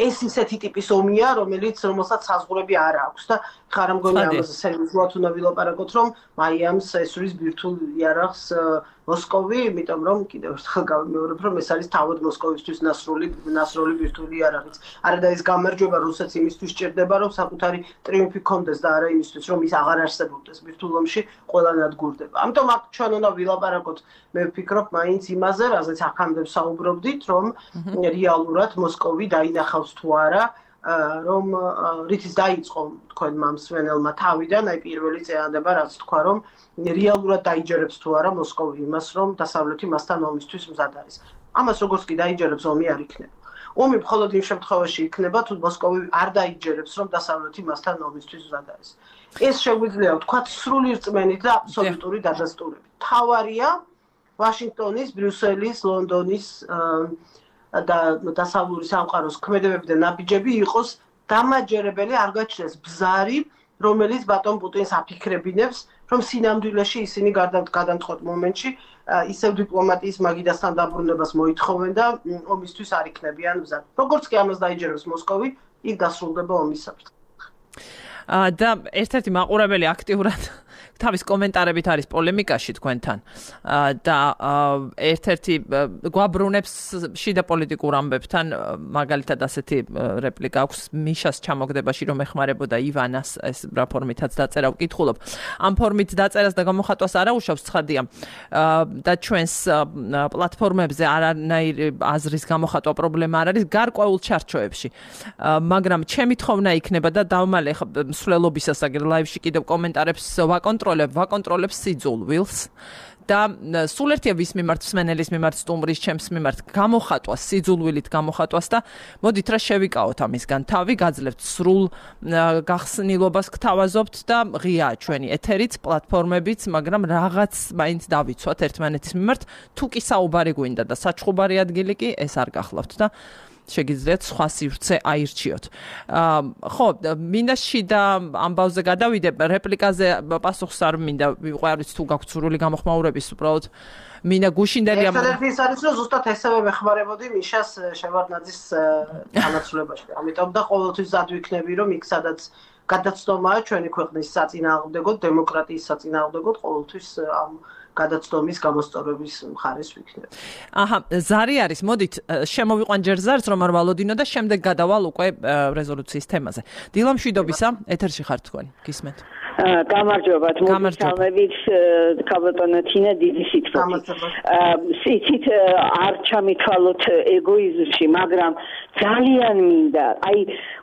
ეს ისეთი ტიპის ომია, რომელსაც საზღვრები არ აქვს და ხარ მგონი ამაზე სერიოზულად უნდა ვილაპარაკოთ, რომ მაიამს ესვრის ბირთვულ იარაღს მოსკოვი, იმიტომ რომ კიდევ ერთხელ გავიმეორებ, რომ ეს არის თავად მოსკოვისთვის ნასროლი ბირთვული იარაღიც. არა და ეს გამარჯვება რუსეთს იმისთვის სჭირდება, რომ საკუთარი ტრიუმფი ჰქონდეს და არა იმისთვის, რომ ის აღარ არსებობდეს ბირთვულ ომში, ყველანად გურდება. ამიტომ აქ ჩვენ უნდა ვილაპარაკოთ, მე ვფიქრობ, მაინც იმაზე, რაზეც აქამდე ვსაუბრობდით, რომ რეალურად მოსკოვი დაინახავს თუ არა, რომ რითიც დაიწყო თქვენმა მსმენელმა თავიდან, აი პირველი წინადადება, რაც თქვა, რომ რეალურად დაიჯერებს თუ არა მოსკოვი იმას, რომ დასავლეთი მასთან ომისთვის მზად არის. ამას როგორც კი დაიჯერებს, ომი არ იქნება. ომი მხოლოდ იმ შემთხვევაში იქნება, თუ მოსკოვი არ დაიჯერებს, რომ დასავლეთი მასთან ომისთვის მზად არის. ეს შეგვიძლია ვთქვათ სრული რწმენით და აბსოლუტური დადასტურებით. თავარია ვაშინგტონის, ბრიუსელის, ლონდონის და დასავლური სამყაროს ქმედებები და ნაბიჯები იყოს დამაჯერებელი, არ გაჩნდეს ბზარი, რომელიც ბატონ პუტინს აფიქრებინებს, რომ სინამდვილეში ისინი გადამწყვეტ მომენტში ისევ დიპლომატიის მაგიდასთან დაბრუნებას მოითხოვენ და ომისთვის არ იქნებიან მზად. როგორც კი ამას დაიჯერებს მოსკოვი, იქ დასრულდება ომის საფრთხე. და ერთ-ერთი მაყურებელი აქტიურად თავის კომენტარებით არის პოლემიკაში თქვენთან და ერთ-ერთი გვაბრუნებს შიდა პოლიტიკურ ამბებთან, მაგალითად ასეთი რეპლიკა აქვს მიშას ჩამოგდებაში, რომ ეხმარებოდა ივანას, ეს რა ფორმითაც დაწერა ვკითხულობ. ამ ფორმით დაწერას და გამოხატვას არ აუშავს, ცხადია და ჩვენს პლატფორმებზე არანაირი აზრის გამოხატვა პრობლემა არ არის გარკვეულ ჩარჩოებში. მაგრამ ჩემი თხოვნა იქნება და დავმალე მსვლელობისას აგერ ლაივში კიდევ კომენტარებს ვაკონტროლებ სიძულვილს და სულ ერთია ვის მიმართ მსმენელის მიმართ სტუმრის ჩემს მიმართ გამოხატვას სიძულვილით გამოხატვას და მოდით რა შევიკავოთ ამისგან თავი გაძლევთ სრულ გახსნილობას გთავაზობთ და ღიაა ჩვენი ეთერიც პლატფორმებიც, მაგრამ რაღაც მაინც დავიცვათ ერთმანეთის მიმართ, თუ კი საუბარი გვინდა და საჩხუბარი ადგილი კი ეს არ გახლავთ და შეგიძლიათ სხვა სივრცე აირჩიოთ. ხო, მინდა შიდა ამბავზე გადავიდე, რეპლიკაზე პასუხს არ მინდა ვიყო, არ ვიცი თუ გაქვთ სრული გამოხმაურების უბრალოდ მინდა გუშინდელი ერთადერთი ის არის, რომ ზუსტად ესევე მეხმარებოდი მიშას შევარდნაძის განაცვლებაში. ამიტომ და ყოველთვის ზად ვიქნები, რომ იქ სადაც გადაცდომაა ჩვენი ქვეყნის საწინააღმდეგოდ, დემოკრატიის საწინააღმდეგოდ, ყოველთვის ამ გადაცდომის გამოსწორების მხარეს ვიქნებ. აჰა, ზარი არის. მოდით შემოვიყვან ჯერ ზარს რომ არ ვალოდინო და შემდეგ გადავალ უკვე რეზოლუციის თემაზე. დილა მშვიდობისა, ეთერში ხართ თქვენ, გისმენთ. გამარჯობათ, მოგესალმებით, ქალბატონო თინა, დიდი სიტყვით. სიცით არ ჩამითვალოთ ეგოიზმში, მაგრამ ძალიან მინდა, აი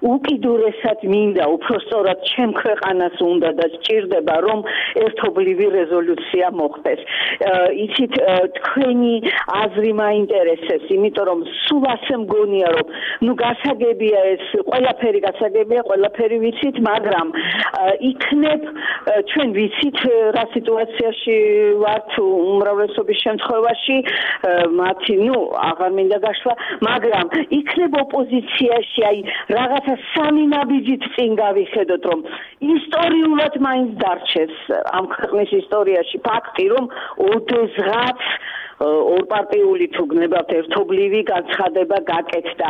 უკიდურესად მინდა, უფრო სწორად ჩემ ქვეყანას უნდა და სჭირდება, რომ ერთობლივი რეზოლუცია მოხდეს. იცით, თქვენი აზრი მაინტერესებს, იმიტომ რომ სულ ასე მგონია, რომ ნუ გასაგებია ეს, ყველაფერი გასაგებია, ყველაფერი ვიცით, მაგრამ იქნებ ჩვენ ვიცით რა სიტუაციაში ვართ უმრავლესობის შემთხვევაში მათი აღარ მინდა გაშლა მაგრამ იქნებ ოპოზიციაში აი რაღაცა სამი ნაბიჯით წინ გავიხედოთ რომ ისტორიულად მაინც დარჩეს ამ ქვეყნის ისტორიაში ფაქტი რომ ოდესღაც ორპარტიული თუ გნებავთ ერთობლივი განცხადება გაკეთდა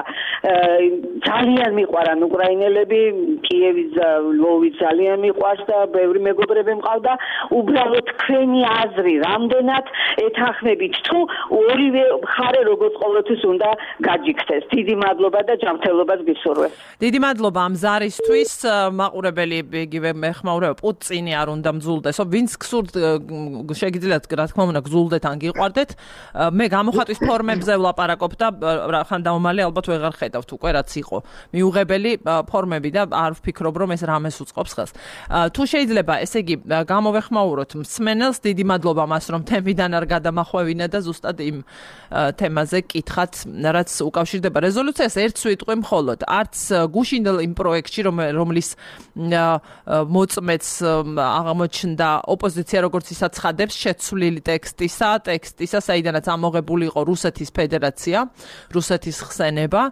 ძალიან მიყვარან უკრაინელები კიევის და ლვოვის ძალიან მიყვარს და ბევრი მეგობრები მყავდა უბრალოდ თქვენი აზრი რამდენად ეთანხმებით თუ ორივე მხარე როგორც ყოველთვის უნდა გაჯიქდეს დიდი მადლობა და ჯანმრთელობას გისურვებ დიდი მადლობა ამ ზარისთვის მაყურებელი იგივე მეხმაურება პუტინი არ უნდა მძულდესო ვინც გსურთ შეგიძლიათ რა თქმა უნდა გძულდეთ ან გიყვარდეთ მე გამოხატვის ფორმებზე ვლაპარაკობ და ხან დაუმალე ალბათ ვეღარ ხედავთ უკვე რაც იყო მიუღებელი ფორმები და არ ვფიქრობ რომ ეს რამეს უწყობს ხელს თუ შეიძლება ესე იგი გამოვეხმაუროთ მსმენელს დიდი მადლობა მას რომ თემიდან არ გადამახვევინა და ზუსტად იმ თემაზე კითხათ რაც უკავშირდება რეზოლუციას ერთ სიტყვი მხოლოდ არც გუშინდელ იმ პროექტში რომლის მოწმეც აღმოჩნდა ოპოზიცია როგორც ისაცხადებს შეცვლილი ტექსტისა საიდანაც ამოღებული იყო რუსეთის ფედერაცია, რუსეთის ხსენება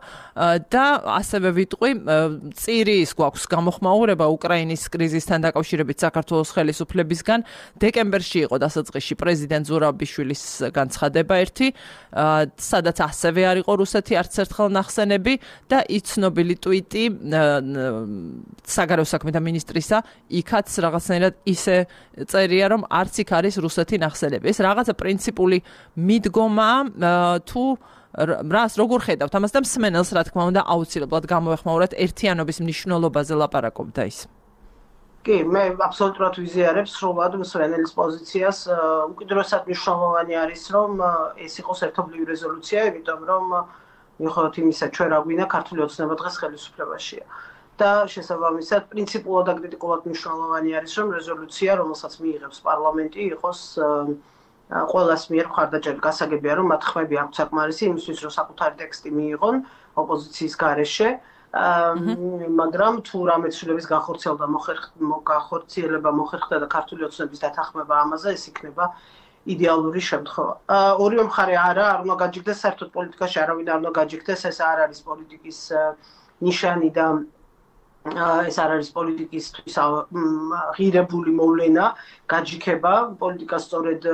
და ასევე ვიტყვი წირის გვაქვს გამოხმაურება უკრაინის კრიზისთან დაკავშირებით საქართველოს ხელისუფლებისგან დეკემბერში იყო დასაწყისში პრეზიდენტ ზურაბიშვილის განცხადება ერთი, სადაც ასევე არ იყო რუსეთი არც ერთხელ ნახსენები და იცნობილი ტვიტი საგარეო საქმეთა მინისტრისა იქაც რაღაცნაირად ისე წერია რომ არც იქ არის რუსეთი ნახსენები. ეს რაღაცა პრინციპული მიდგომა თუ რას როგორ ხედავთ ამას და მსმენელს რა თქმა უნდა აუცილებლად გამოვეხმაუროთ ერთიანობის მნიშვნელობაზე ლაპარაკობდა ის. კი, მე აბსოლუტურად ვიზიარებ სრულად მსმენელის პოზიციას. უკიდურესად მნიშვნელოვანი არის რომ ეს იყოს ერთობლივი რეზოლუცია, იმიტომ რომ მიუხედავად იმისა, ჩვენ რა გვინდა ქართული ოცნება დღეს ხელისუფლებაშია. და შესაბამისად პრინციპულად და კრიტიკულად მნიშვნელოვანი არის რომ რეზოლუცია, რომელსაც მიიღებს პარლამენტი, იყოს ყველას მიერ მხარდაჭერა გასაგებია რომ მათ ხმები აქვს საკმარისი იმისთვის რომ საკუთარი ტექსტი მიიღონ ოპოზიციის გარეშე მაგრამ თუ რამე ცვლილების განხორციელება მოხერხდა და ქართული ოცნების დათანხმება ამაზე ეს იქნება იდეალური შემთხვევა. ორივე მხარე არ უნდა გაჯიქდეს საერთოდ პოლიტიკაში არავინ არ უნდა გაჯიქდეს ეს არ არის პოლიტიკის ნიშანი და ეს არ არის პოლიტიკისთვის ღირებული მოვლენა გაჯიქება პოლიტიკა სწორედ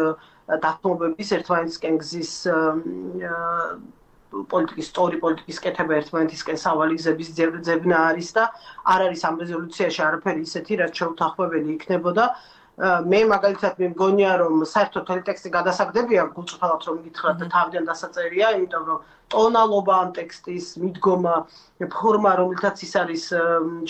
დათმობების ერთმანეთისკენ გზის პოლიტიკის კეთება ერთმანეთისკენ სავალი გზების ძებნა არის და არ არის ამ რეზოლუციაში არაფერი ისეთი რაც შეუთანხმებელი იქნებოდა მე მაგალითად მე მგონია რომ საერთოდ მთელი ტექსტი გადასაგდებია გულწრფელად რომ გითხრათ და თავიდან დასაწერია იმიტომ რომ ტონალობა ამ ტექსტის მიდგომა ფორმა რომელთაც ის არის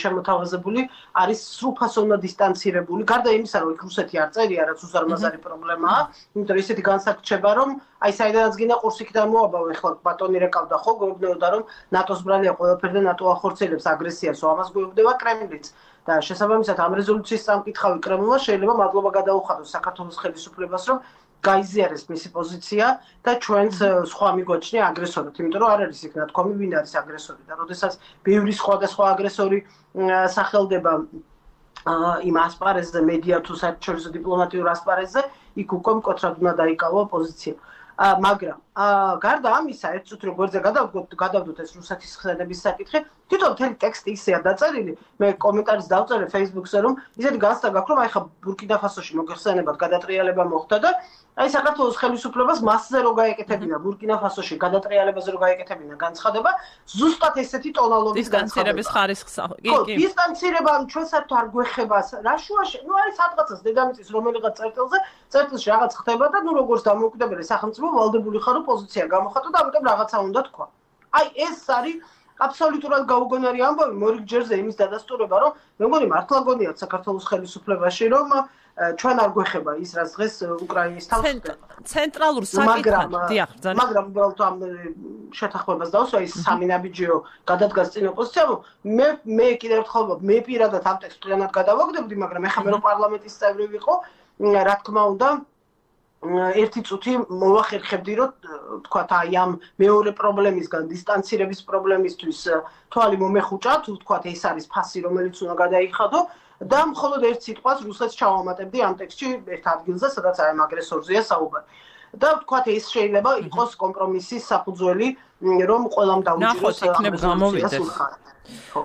შემოთავაზებული არის სრულფასოვნად დისტანცირებული გარდა იმისა რომ იქ რუსეთი არ წერია რაც უზარმაზარი პრობლემაა იმიტომ რომ ისეთი განსაკუთრება რომ აი საიდანაც გინდა ყურს იქიდან მოაბავ ეხლა ბატონი რეკავდა ხო გვეუბნებოდა რომ ნატოს ბრალია ყველაფერი და ნატო ახორციელებს აგრესიას რომ ამას გვეუბნება კრემლიც და შესაბამისად ამ რეზოლუციის სამკითხავი კრემლმა შეიძლება მადლობა გადაუხადოს საქართველოს ხელისუფლებას რომ გაიზიარეს მისი პოზიცია და ჩვენს სხვა მიგვაჩნია აგრესორად, იმიტომ რომ არ არის იქ ნათქვამი ვინ არის აგრესორი და როდესაც ბევრი სხვადასხვა აგრესორი სახელდება იმ ასპარეზზე, მედია თუ საერთაშორისო დიპლომატიურ ასპარეზზე, იქ უკვე მკვეთრად უნდა დაიკავო პოზიცია. მაგრამ გარდა ამისა, ერთ წუთი როგორ გადავდოთ ეს რუსეთის ხსენების საკითხი, თვითონ მთელი ტექსტი ისეა დაწერილი, მე კომენტარს დავწერე Facebook-ზე, რომ ისეთი განცდა გაქვს, რომ აი ხა ბურკინა-ფასოში მოგხსენებათ გადატრიალება მოხდა და აი საქართველოს ხელისუფლებას მასზე რო გაეკეთებინა ბურკინა-ფასოში გადატრიალებაზე რო გაეკეთებინა განცხადება, ზუსტად ესეთი ტონალობის განცხადების ხარისხს კი დისტანცირება ჩვენ საერთოდ არ გვეხება რა შუაში ნუ არის სადღაცას დედამიწის რომელიღაც წერტილში რაღაც ხდება და ნუ როგორც დამოუკიდებელი სახელმწიფო ვალდებული ხარო პოზიცია გამოხატო და ამიტომ რაღაცა უნდა თქვა აი ეს არის აბსოლუტურად გაუგონარი ამბავი მორიგ ჯერზე იმის დადასტურება რომ მე მგონი მართლა გონიათ საქართველოს ხელისუფლებაში რომ ჩვენ არ გვეხება ის რაც დღეს უკრაინის თავს ცენტრალურ საკითხად დიახ ძალიან მაგრამ უბრალოდ ამ შეთანხმებას დავსვა ის სამი ნაბიჯიო გადადგას წინ ოპოზიციამ მე კიდევ ერთხელ მე პირადად ამ ტექსტს პლანად გადავაგდებდი მაგრამ ეხლა მე რომ პარლამენტის წევრი ვიყო რა თქმა უნდა ერთი წუთი მოვახერხებდი რომ თქვათ აი ამ მეორე პრობლემისგან დისტანცირების პრობლემისთვის თვალი მომეხუჭა თუ თქვათ ეს არის ფასი რომელიც უნდა გადაიხადო და მხოლოდ ერთ სიტყვას რუსეთს ჩავამატებდი ამ ტექსტში ერთ ადგილზე სადაც აი ამ აგრესორზეა საუბარი და თქვათ ეს შეიძლება იყოს კომპრომისის საფუძველი რომ ყველამ დაუჭიროს იქნებ გამოვიდეს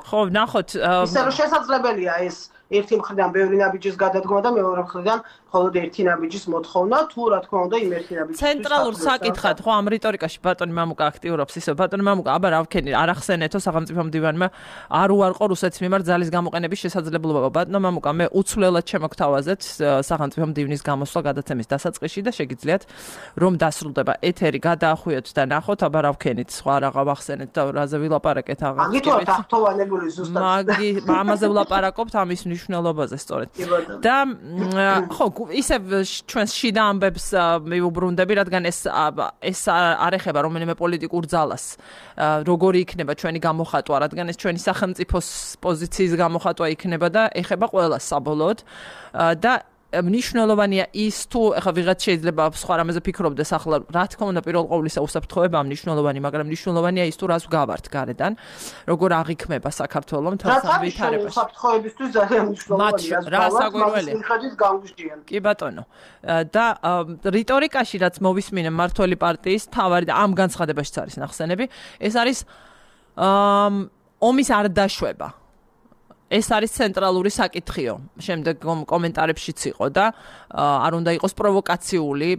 ხო ნახოთ ისე რომ შესაძლებელია ეს ერთი მხრიდან ბევრი ნაბიჯის გადადგმა და მეორე მხრიდან მხოლოდ ერთი ნაბიჯის მოთხოვნა თუ რა თქმა უნდა იმ ერთი ნაბიჯის ცენტრალურ საკითხად ხო ამ რიტორიკაში ბატონი მამუკა აქტიურობს ისე ბატონი მამუკა აბა რა ვქენი არ ახსენეთო სახელმწიფო მდივანმა არ უარყო რუსეთის მიმართ ძალის გამოყენების შესაძლებლობა ბატონო მამუკა მე უცვლელად შემოგთავაზეთ სახელმწიფო მდივნის გამოსვლა გადაცემის დასაწყისში და შეგიძლიათ რომ დასრულდება ეთერი გადაახვიოთ და ნახოთ აბა რა ვქენით სხვა რა ვახსენეთ და რაზე ვილაპარაკეთ აღარ მაგითო თαυτოვანებული ზუსტად ამაზე ვილაპარაკობთ ამის მნიშვნელობაზე სწორედ და ხო ისევ ჩვენს შიდა ამბებს მივუბრუნდები, რადგან ეს არ ეხება რომელიმე პოლიტიკურ ძალას. როგორი იქნება ჩვენი გამოხატვა, რადგან ეს ჩვენი სახელმწიფოს პოზიციის გამოხატვა იქნება და ეხება ყველას საბოლოოდ და მნიშვნელოვანია ის თუ ეხლა ვიღაც შეიძლება სხვა რამეზე ფიქრობდეს ახლა რა თქმა უნდა პირველ ყოვლისა უსაფრთხოება მნიშვნელოვანი, მაგრამ მნიშვნელოვანია ის თუ რას გავართ გარედან, როგორ აღიქმება საქართველოს თვალსა ვითარებაში. უსაფრთხოებისთვის ძალიან მნიშვნელოვანია რა საგვირველია. კი ბატონო. და რიტორიკაში რაც მოვისმინე მმართველი პარტიის თავარი და ამ განცხადებაშიც არის ნახსენები, ეს არის ომის არ დაშვება. ეს არის ცენტრალური საკითხიო. შემდეგ კომენტარებშიც იყო და არ უნდა იყოს პროვოკაციული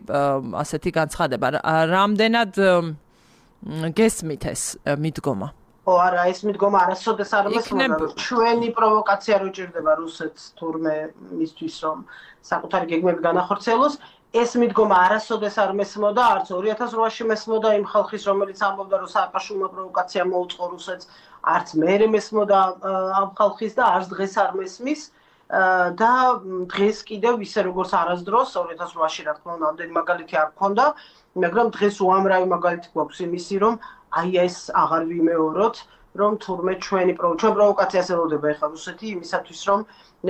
ასეთი განცხადება. რამდენად გესმით ეს მიდგომა? ო არა, ეს მიდგომა არასოდეს არ მესმოდა. ჩვენი პროვოკაცია რო ჭირდება რუსეთს თურმე მისთვის რომ საკუთარი გეგმები განახორციელოს. ეს მიდგომა არასოდეს არ მესმოდა, არც 2008-ში მესმოდა იმ ხალხის, რომელიც ამბობდა, რომ სააკაშვილმა პროვოკაცია მოუწყო რუსეთს, არც მერე მესმოდა ამ ხალხის და არც დღეს არ მესმის და დღეს კიდევ ისე როგორც არასდროს 2008-ში რა თქმა უნდა ამდენი მაგალითი არ გქონდა, მაგრამ დღეს უამრავი მაგალითი გვაქვს იმისი, რომ აი ეს აღარ ვიმეოროთ, რომ თურმე ჩვენ პროვოკაციას ელოდება ეხლა რუსეთი იმისათვის, რომ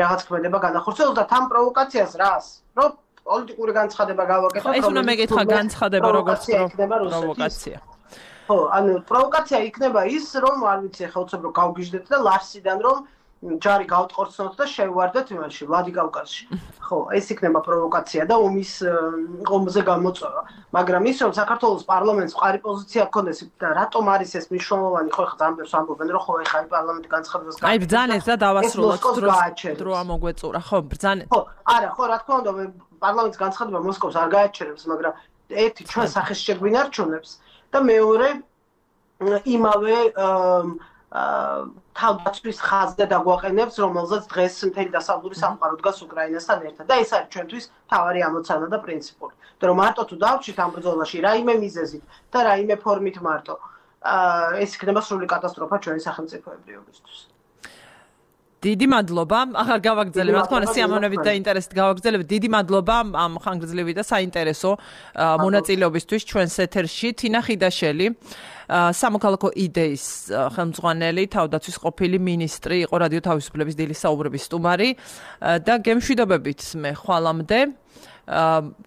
რაღაც ქმედება განახორციელოს და თან პროვოკაციას რას? რომ პოლიტიკური განცხადება გავაკეთოთ, ეს უნდა მეკითხა განცხადება როგორც პროვოკაცია. ხო, ანუ პროვოკაცია იქნება ის, რომ არ ვიცი, ხა უცებ რომ გავგიჟდეთ და ლარსიდან რომ ჯარი გავტყორცნოთ და შევვარდეთ იმაში, ვლადიკავკაზში. ხო, ეს იქნება პროვოკაცია და ომზე გამოწვევა. მაგრამ ის რომ საქართველოს პარლამენტს მყარი პოზიცია ჰქონდეს და რატომ არის ეს მნიშვნელოვანი, ხო ხა ამბებს ამბობენ, რომ ხო ეხა პარლამენტი განცხადებას აი ბრძანეთ და დავასრულოთ დრო ამოგვეწურა, ხო, ბრძანეთ. ხო, არა, ხო, რა თქმა უნდა, პარლამენტის განცხადება მოსკოვს არ გააჩერებს, მაგრამ ერთი ჩვენ სახეს შეგვინარჩუნებს და მეორე იმავე თავდაცვის ხაზზე დაგვაყენებს, რომელზეც დღეს მთელი დასავლური სამყარო დგას უკრაინასთან ერთად. და ეს არის ჩვენთვის მთავარი ამოცანა და პრინციპული. და რომ მარტო თუ დავჭით ამ ბრძოლაში რაიმე მიზეზით და რაიმე ფორმით მარტო, ეს იქნება სრული კატასტროფა ჩვენი სახელმწიფოებრიობისთვის. დიდი მადლობა. ახლა გავაგრძელებ, რა თქმა უნდა, სიამოვნებით და ინტერესით გავაგრძელებ. დიდი მადლობა ამ ხანგრძლივი და საინტერესო მონაწილეობისთვის ჩვენს ეთერში. თინა ხიდაშელი, სამოქალაქო იდეის ხელმძღვანელი, თავდაცვის ყოფილი მინისტრი, იყო რადიო თავისუფლების დილის საუბრების სტუმარი და გემშვიდობებით მე ხვალამდე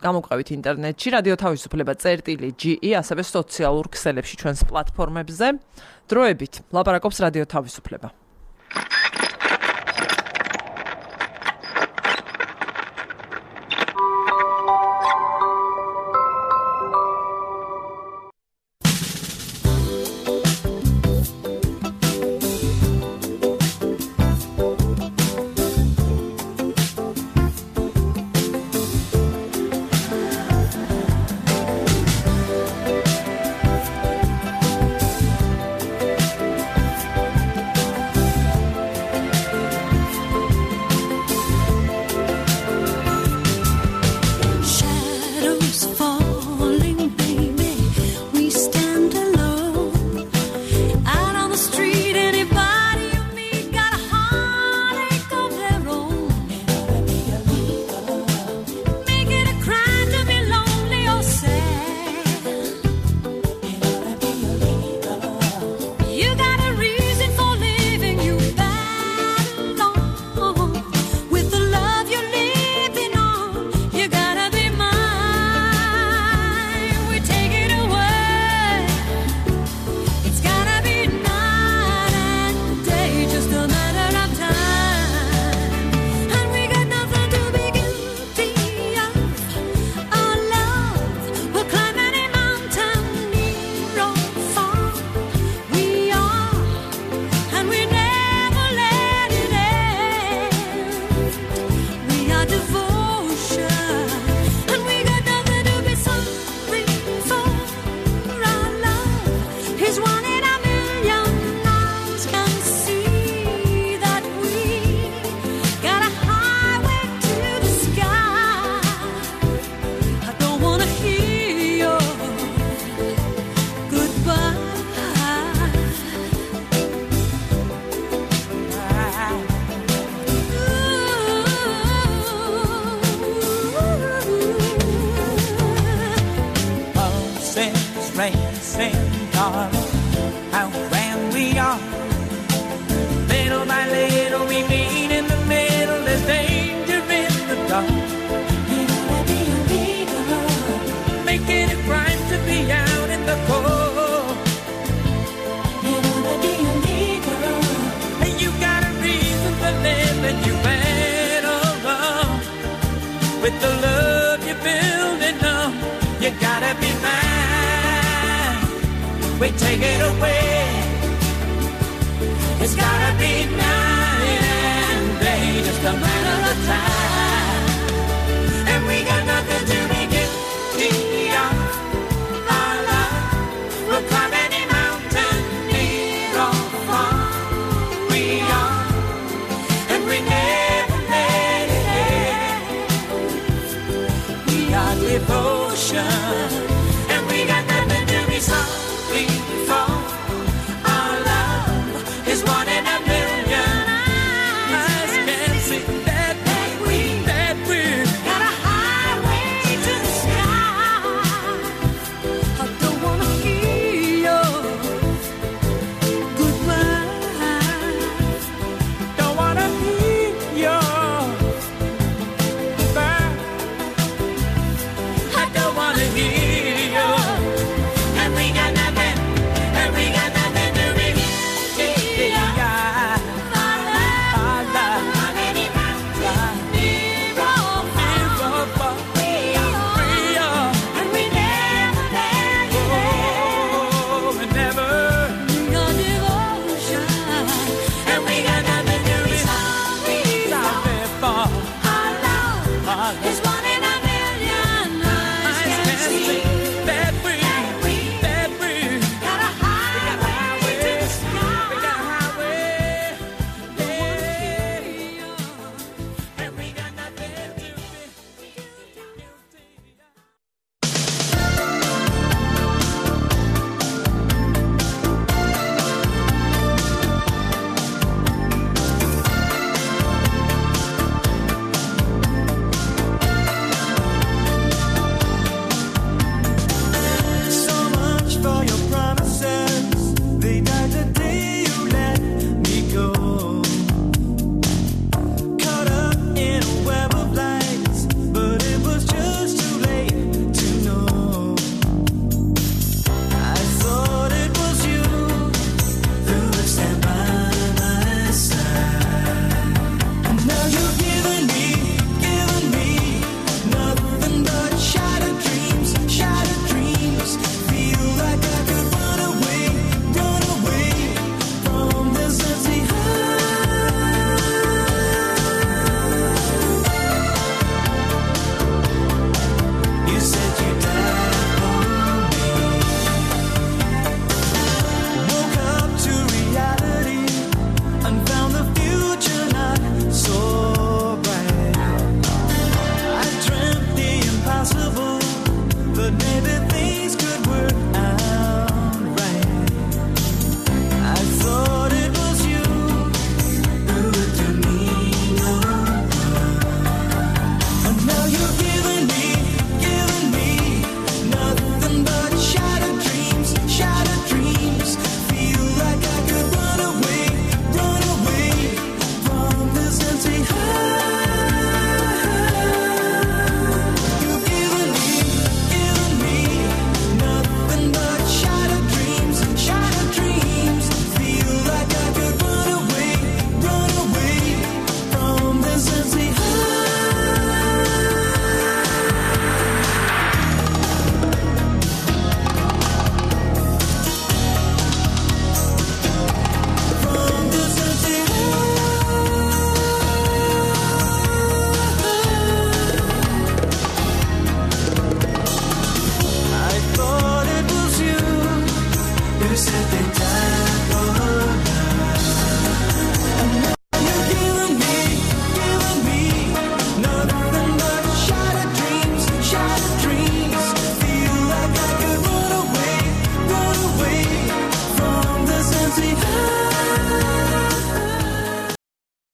გამოვყავით ინტერნეტში რადიო თავისუფლება.ge, ასევე სოციალურ ქსელებში ჩვენს პლატფორმებზე. დროებით ლაპარაკობს რადიო თავისუფლება. with the love you're building up. You gotta be mine. We take it away. It's gotta be night and day, just a matter of time. And we got nothing to be guilty of. Our love will climb any mountain, near or far. We are, and we never let it end. We are devotion.